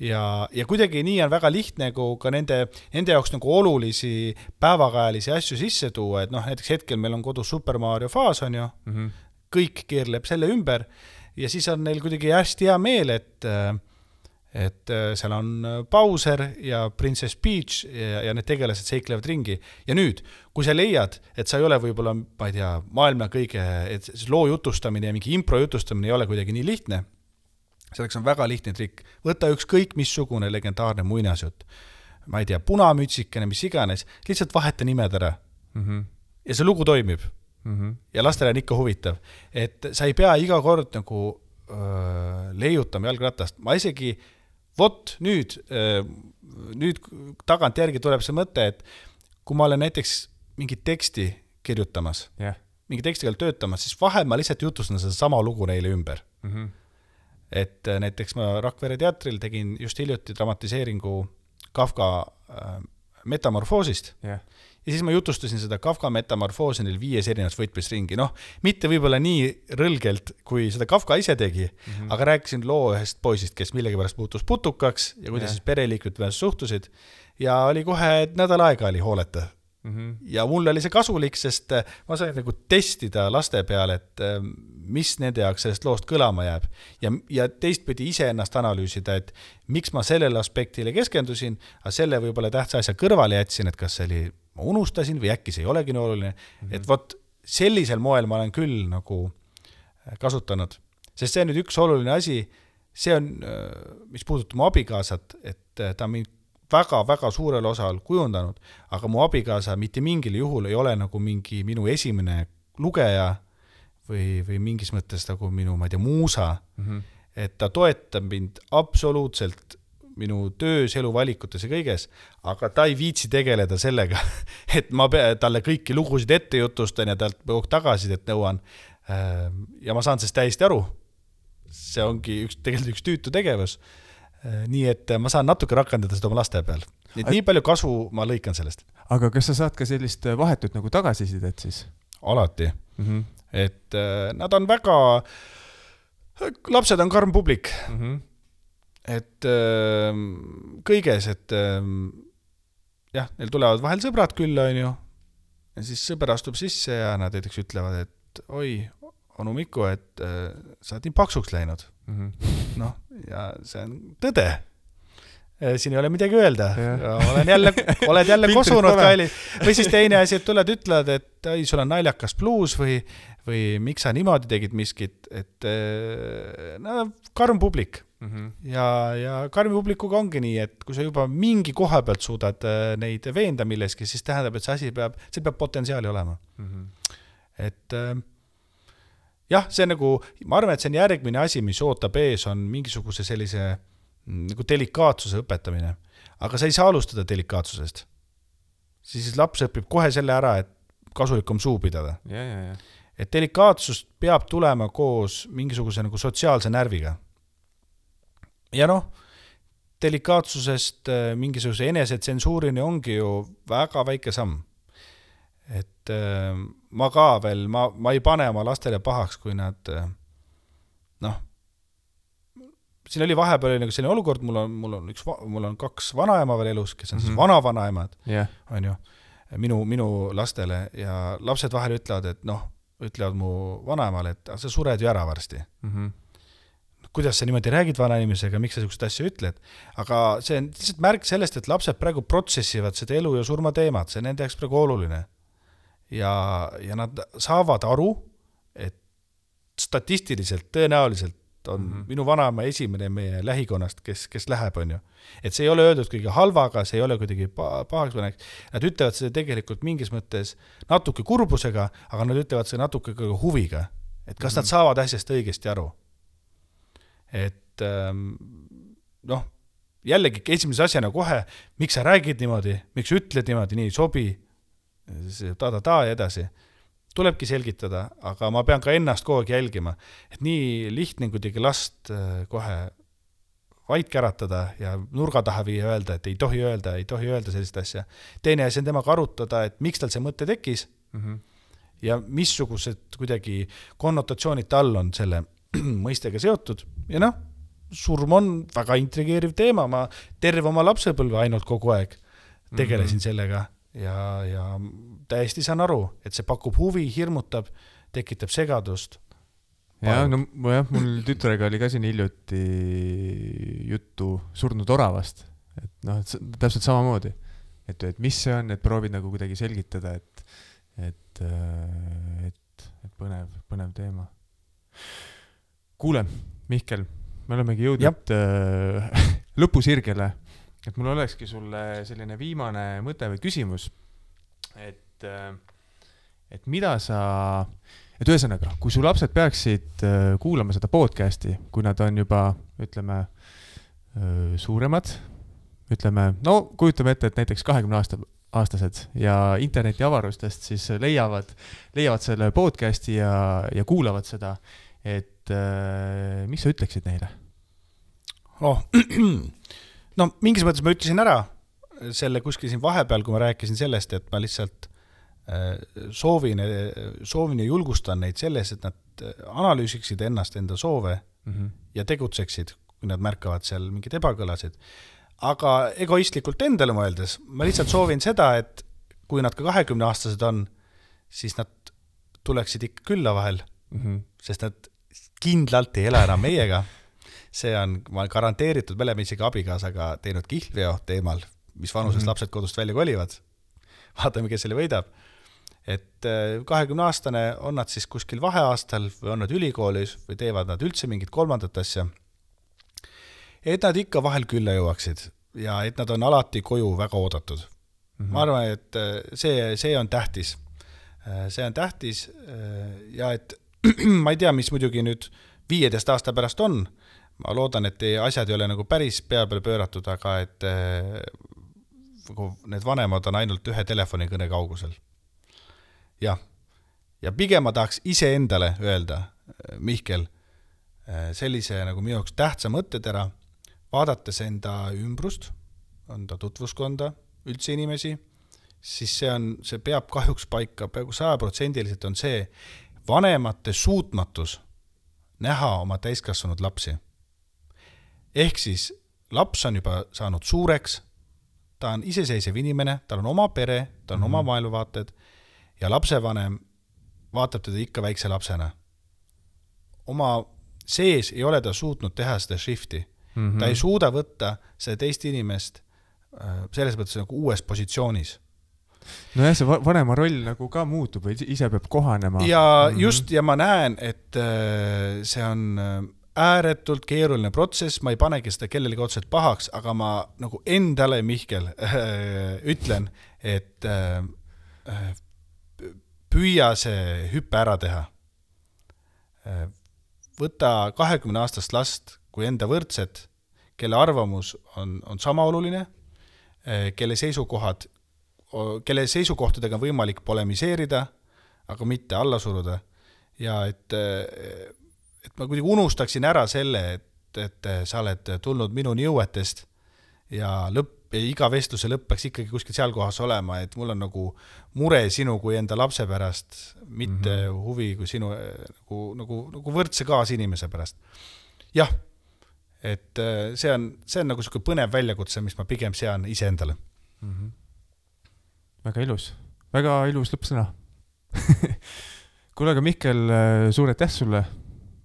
Ja, ja kuidagi nii on väga lihtne nagu ka nende, nende jaoks nagu olulisi päevakajalisi asju sisse tuua, et noh, näiteks hetkel meil on kodus Super Mario faas on ju, mm-hmm. kõik keerleb selle ümber ja siis on neil kuidagi hästi hea meel, et, et seal on Bowser ja Princess Peach ja, ja need tegelased seiklevad ringi. Ja nüüd, kui sa leiad, et sa ei ole võib-olla, ma ei tea, maailma kõige, et loo jutustamine ja mingi impro jutustamine ei ole kuidagi nii lihtne, selleks on väga lihtne trikk. Võta ükskõik missugune legendaarne muinasjutt. Ma ei tea, punamütsikene, mis iganes. Lihtsalt vaheta nimed ära. Mm-hmm. Ja see lugu toimib. Mm-hmm. Ja lastele on ikka huvitav. Et sa ei pea iga kord nagu öö, leiutama jalgratast. Ma isegi, vot nüüd, öö, nüüd tagant järgi tuleb see mõte, et kui ma olen näiteks mingit teksti kirjutamas, yeah. mingi tekstiga töötamas, siis vahel ma lihtsalt jutustan seda sama lugu neile ümber. Mm-hmm. Et näiteks ma Rakvere teatril tegin just hiljuti dramatiseeringu Kafka äh, metamorfoosist yeah. ja siis ma jutustasin seda Kafka metamorfoosi neil viies erinevas võtmisringi. Noh, mitte võib-olla nii rõlgelt, kui seda Kafka ise tegi, mm-hmm. aga rääkisin loo ühest poisist, kes millegi pärast puutus putukaks ja kuidas yeah. siis pereliikmed pärast suhtusid ja oli kohe nädal aega oli hooleta. Mm-hmm. Ja mul oli see kasulik, sest ma sain nagu testida laste peale, et mis nende jaoks sellest loost kõlama jääb ja, ja teistpidi ise ennast analüüsida, et miks ma sellele aspektile keskendusin, aga selle võib-olla tähtsa asja kõrvale jätsin, et kas see oli, ma unustasin või äkki see ei olegi nii oluline, mm-hmm. et vot sellisel moel ma olen küll nagu kasutanud, sest see on nüüd üks oluline asi, see on, mis puudutab mu abikaasat, et ta mind väga-väga suurel osal kujundanud, aga mu abikaasa mitte mingil juhul ei ole nagu mingi minu esimene lugeja või, või mingis mõttes nagu minu, ma ei tea, muusa, mm-hmm. et ta toetab mind absoluutselt minu töös, eluvalikutes ja kõiges, aga ta ei viitsi tegeleda sellega, et ma pea, talle kõiki lugusid ette jutustan ja talt põuk tagasidet nõuan ja ma saan sellest täiesti aru. See ongi üks, tegelikult üks tüütu tegevus. Nii et ma saan natuke rakendada seda oma laste peal. Nii, nii palju kasu ma lõikan sellest. Aga kas sa saad ka sellist vahetut nagu tagasisidet siis? Alati. Mm-hmm. Et äh, nad on väga, lapsed on karm publik. Mm-hmm. Et äh, kõiges, et äh, jah, neil tulevad vahel sõbrad küll, on ju. Ja siis sõber astub sisse ja nad näiteks ütlevad, et oi, onu Miku, et äh, sa oled nii paksuks läinud. Mm-hmm. noh, ja see on tõde. siin ei ole midagi öelda. Olen jälle, oled jälle kosunud kalli. Või siis teine asi, et tuled ütled, et ei, sul on naljakas bluus või, või miks sa niimoodi tegid miskit, et no, karm publik. Mm-hmm. Ja, ja karmi publikuga ongi nii, et kui sa juba mingi koha pealt suudad neid veenda milleski, siis tähendab, et see asi peab, see peab potentsiaali olema. Mm-hmm. Et jah, see on nagu, ma arvan, et see on järgmine asi, mis ootab ees, on mingisuguse sellise nagu delikaatsuse õpetamine. Aga sa ei saa alustada delikaatsusest. Siis laps õpib kohe selle ära, et kasulikum suu pidada. Ja, ja, ja. Et delikaatsust peab tulema koos mingisuguse nagu sotsiaalse närviga. Ja noh, delikaatsusest mingisuguse enesetsensuurini ongi ju väga väike samm. Et ma ka veel, ma, ma ei pane oma lastele pahaks, kui nad noh, siin oli vahepeal nagu selline olukord, mul on, mul on, üks, mul on kaks vanaema veel elus, kes on mm-hmm. siis vana-vanaemad, yeah. on ju, minu, minu lastele ja lapsed vahel ütlevad, et noh, ütlevad mu vanaemale, et sa sured ju ära varsti. Mm-hmm. Kuidas sa niimoodi räägid vanainimesega, miks sa niisugust asja ütled, aga see on lihtsalt märk sellest, et lapsed praegu protsessivad seda elu ja surma teemat, see on nende jaoks praegu oluline. Ja, ja nad saavad aru, et statistiliselt, tõenäoliselt on mm-hmm. minu vanaema esimene meie lähikonnast, kes, kes läheb, on ju. Et see ei ole öeldud kõige halvaga, see ei ole kuidagi pahaks paneks. Nad ütlevad seda tegelikult mingis mõttes natuke kurbusega, aga nad ütlevad seda natuke huviga. Et kas mm-hmm. nad saavad asjast õigesti aru. Et noh, jällegi esimese asjana kohe, miks sa räägid niimoodi, miks ütled niimoodi, nii sobi, ta-ta-ta ja edasi. Tulebki selgitada, aga ma pean ka ennast kogu aeg jälgima. Et nii lihtne kuidagi last kohe vaid käratada ja nurga taha viia öelda, et ei tohi öelda, ei tohi öelda sellist asja. Teine asi on temaga arutada, et miks tal see mõte tekkis mm-hmm. ja missugused kuidagi konnotatsioonid tal on selle mõistega seotud. Ja noh, surm on väga intrigeeriv teema, ma terve oma lapsepõlve ainult kogu aeg tegelesin mm-hmm. sellega ja, ja täiesti saan aru, et see pakub huvi, hirmutab, tekitab segadust. Ja, no jah, mul tütrega oli ka siin hiljuti juttu surnud oravast, et noh, et täpselt samamoodi, et, et mis see on, et proovid nagu kuidagi selgitada, et, et, et, et põnev, põnev teema. Kuule, Mihkel, me olemegi jõudnud äh, lõpusirgele, et mul olekski sulle selline viimane mõte või küsimus, et, äh, et mida sa, et ühesõnaga, kui su lapsed peaksid äh, kuulama seda podcasti, kui nad on juba, ütleme, äh, suuremad, ütleme, no kujutame ette, et näiteks kahekümne aasta, aastased ja interneti avarustest siis leiavad, leiavad selle podcasti ja, ja kuulavad seda, et äh, mis sa ütleksid neile? Oh, no mingis mõttes ma ütlesin ära selle kuskil siin vahepeal, kui ma rääkisin sellest, et ma lihtsalt äh, soovin, soovin ja julgustan neid selles, et nad analüüsiksid ennast enda soove mm-hmm. ja tegutseksid, kui nad märkavad seal mingid ebakõlasid. Aga egoistlikult endale mõeldes, ma lihtsalt soovin seda, et kui nad ka kahekümne aastased on, siis nad tuleksid ikka külla vahel, mm-hmm. sest nad kindlalt ei ela enam meiega. See on, ma garanteeritud, me oleme isegi abikaasaga teinud kihlveo teemal, mis vanuses mm-hmm. lapsed kodust välja kolivad. Vaatame, kes selle võidab. Et kahekümne aastane on nad siis kuskil vaheaastal või on nad ülikoolis või teevad nad üldse mingit kolmandat asja. Et nad ikka vahel külla jõuaksid ja et nad on alati koju väga oodatud. Mm-hmm. Ma arvan, et see, see on tähtis. See on tähtis ja et ma ei tea, mis muidugi nüüd viieteist aasta pärast on. Ma loodan, et asjad ei ole nagu päris pea peale pööratud, aga et need vanemad on ainult ühe telefonikõne kaugusel. Ja, ja pigem ma tahaks ise endale öelda, Mihkel, sellise nagu minu jaoks tähtsa mõttetera, vaadates enda ümbrust, on ta tutvuskonda, üldse inimesi, siis see, on, see peab kahjuks paika, peaaegu sajaprotsendiliselt on see vanemate suutmatus näha oma täiskasvanud lapsi. Ehk siis laps on juba saanud suureks, ta on iseseisev inimene, tal on oma pere, ta on mm-hmm. oma maailmavaated ja lapsevanem vaatab teda ikka väikse lapsena. Oma sees ei ole ta suutnud teha seda shifti Mm-hmm. Ta ei suuda võtta see teist inimest selles mõttes nagu uues positsioonis. No jah, see vanema roll nagu ka muutub või ise peab kohanema. Ja just, ja ma näen, et see on ääretult keeruline protsess, ma ei panegi seda kellelegi otseselt pahaks, aga ma nagu endale, Mihkel, ütlen, et püüa see hüppe ära teha. Võta kahekümne aastast last kui enda võrdset, kelle arvamus on, on sama oluline, kelle seisukohad, kelle seisukohtadega on võimalik polemiseerida, aga mitte alla suruda. Ja et et ma kuidagi unustaksin ära selle, et, et sa oled tulnud minuni jõuetest ja lõpp, ja iga vestluse lõpp peaks ikkagi kuskil seal kohas olema, et mul on nagu mure sinu kui enda lapse pärast, mitte mm-hmm. huvi kui sinu nagu, nagu, nagu võrdse kaasinimese pärast. Jah, et see on, see on nagu selline põnev väljakutse, mis ma pigem sean ise endale. Mm-hmm. Väga ilus, väga ilus lõppsõna. Kuule, aga Mihkel, suur aitäh sulle,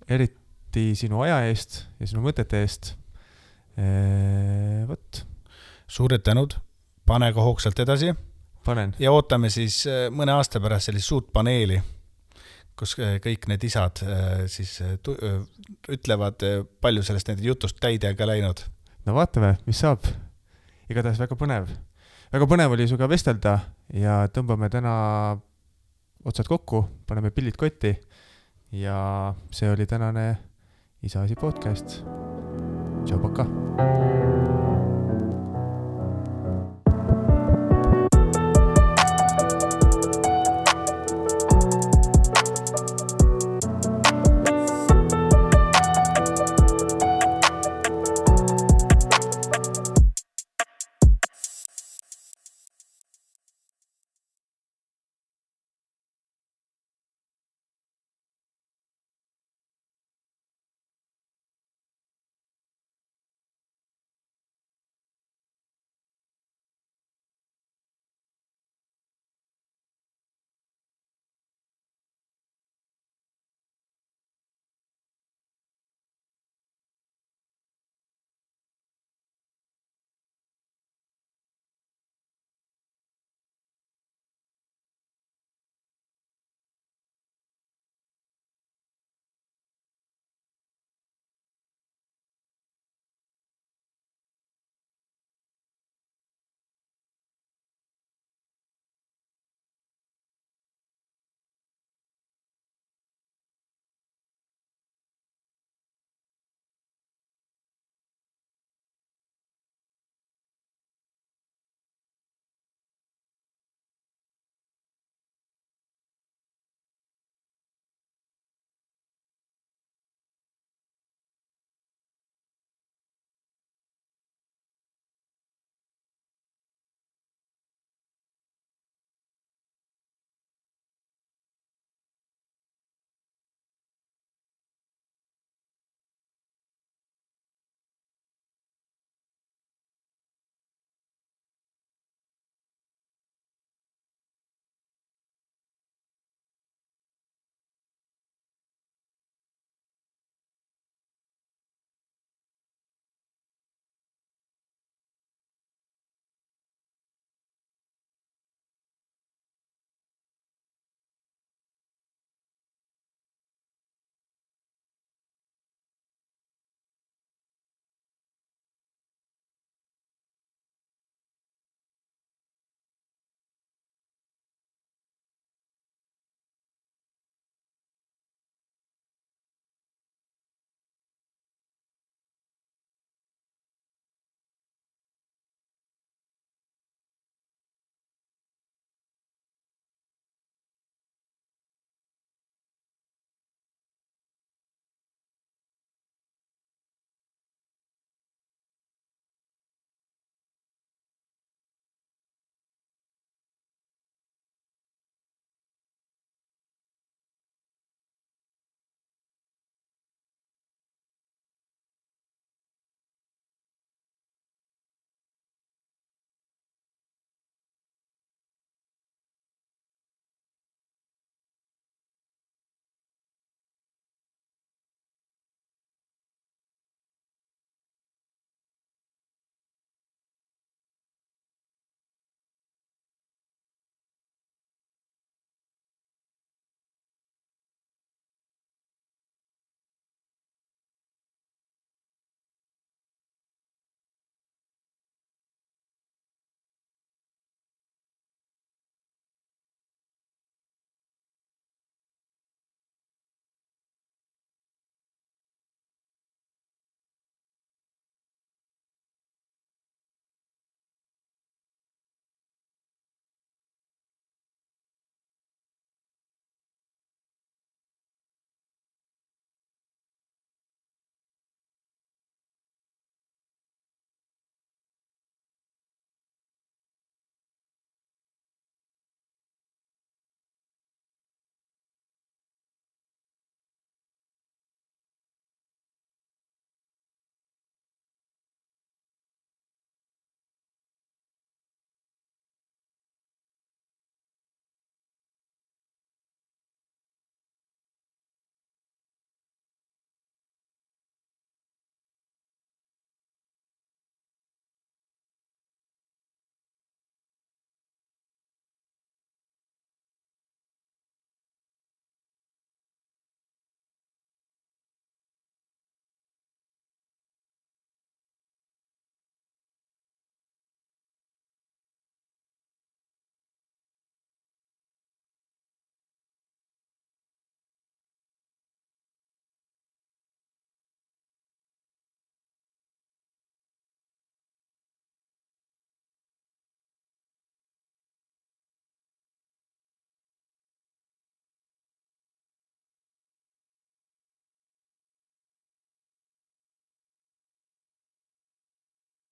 eriti sinu aja eest ja sinu mõtete eest. Eee, võt. Suured tänud, pane ka hoogsalt edasi. Panen. Ja ootame siis mõne aasta pärast sellist suurt paneeli, kus kõik need isad siis ütlevad palju sellest nende jutust täidega läinud. No vaatame, mis saab. Igatahes väga põnev. Väga põnev oli suga vestelda ja tõmbame täna otsad kokku, paneme pillid kotti ja see oli tänane Isa asi podcast. Tšau, paka!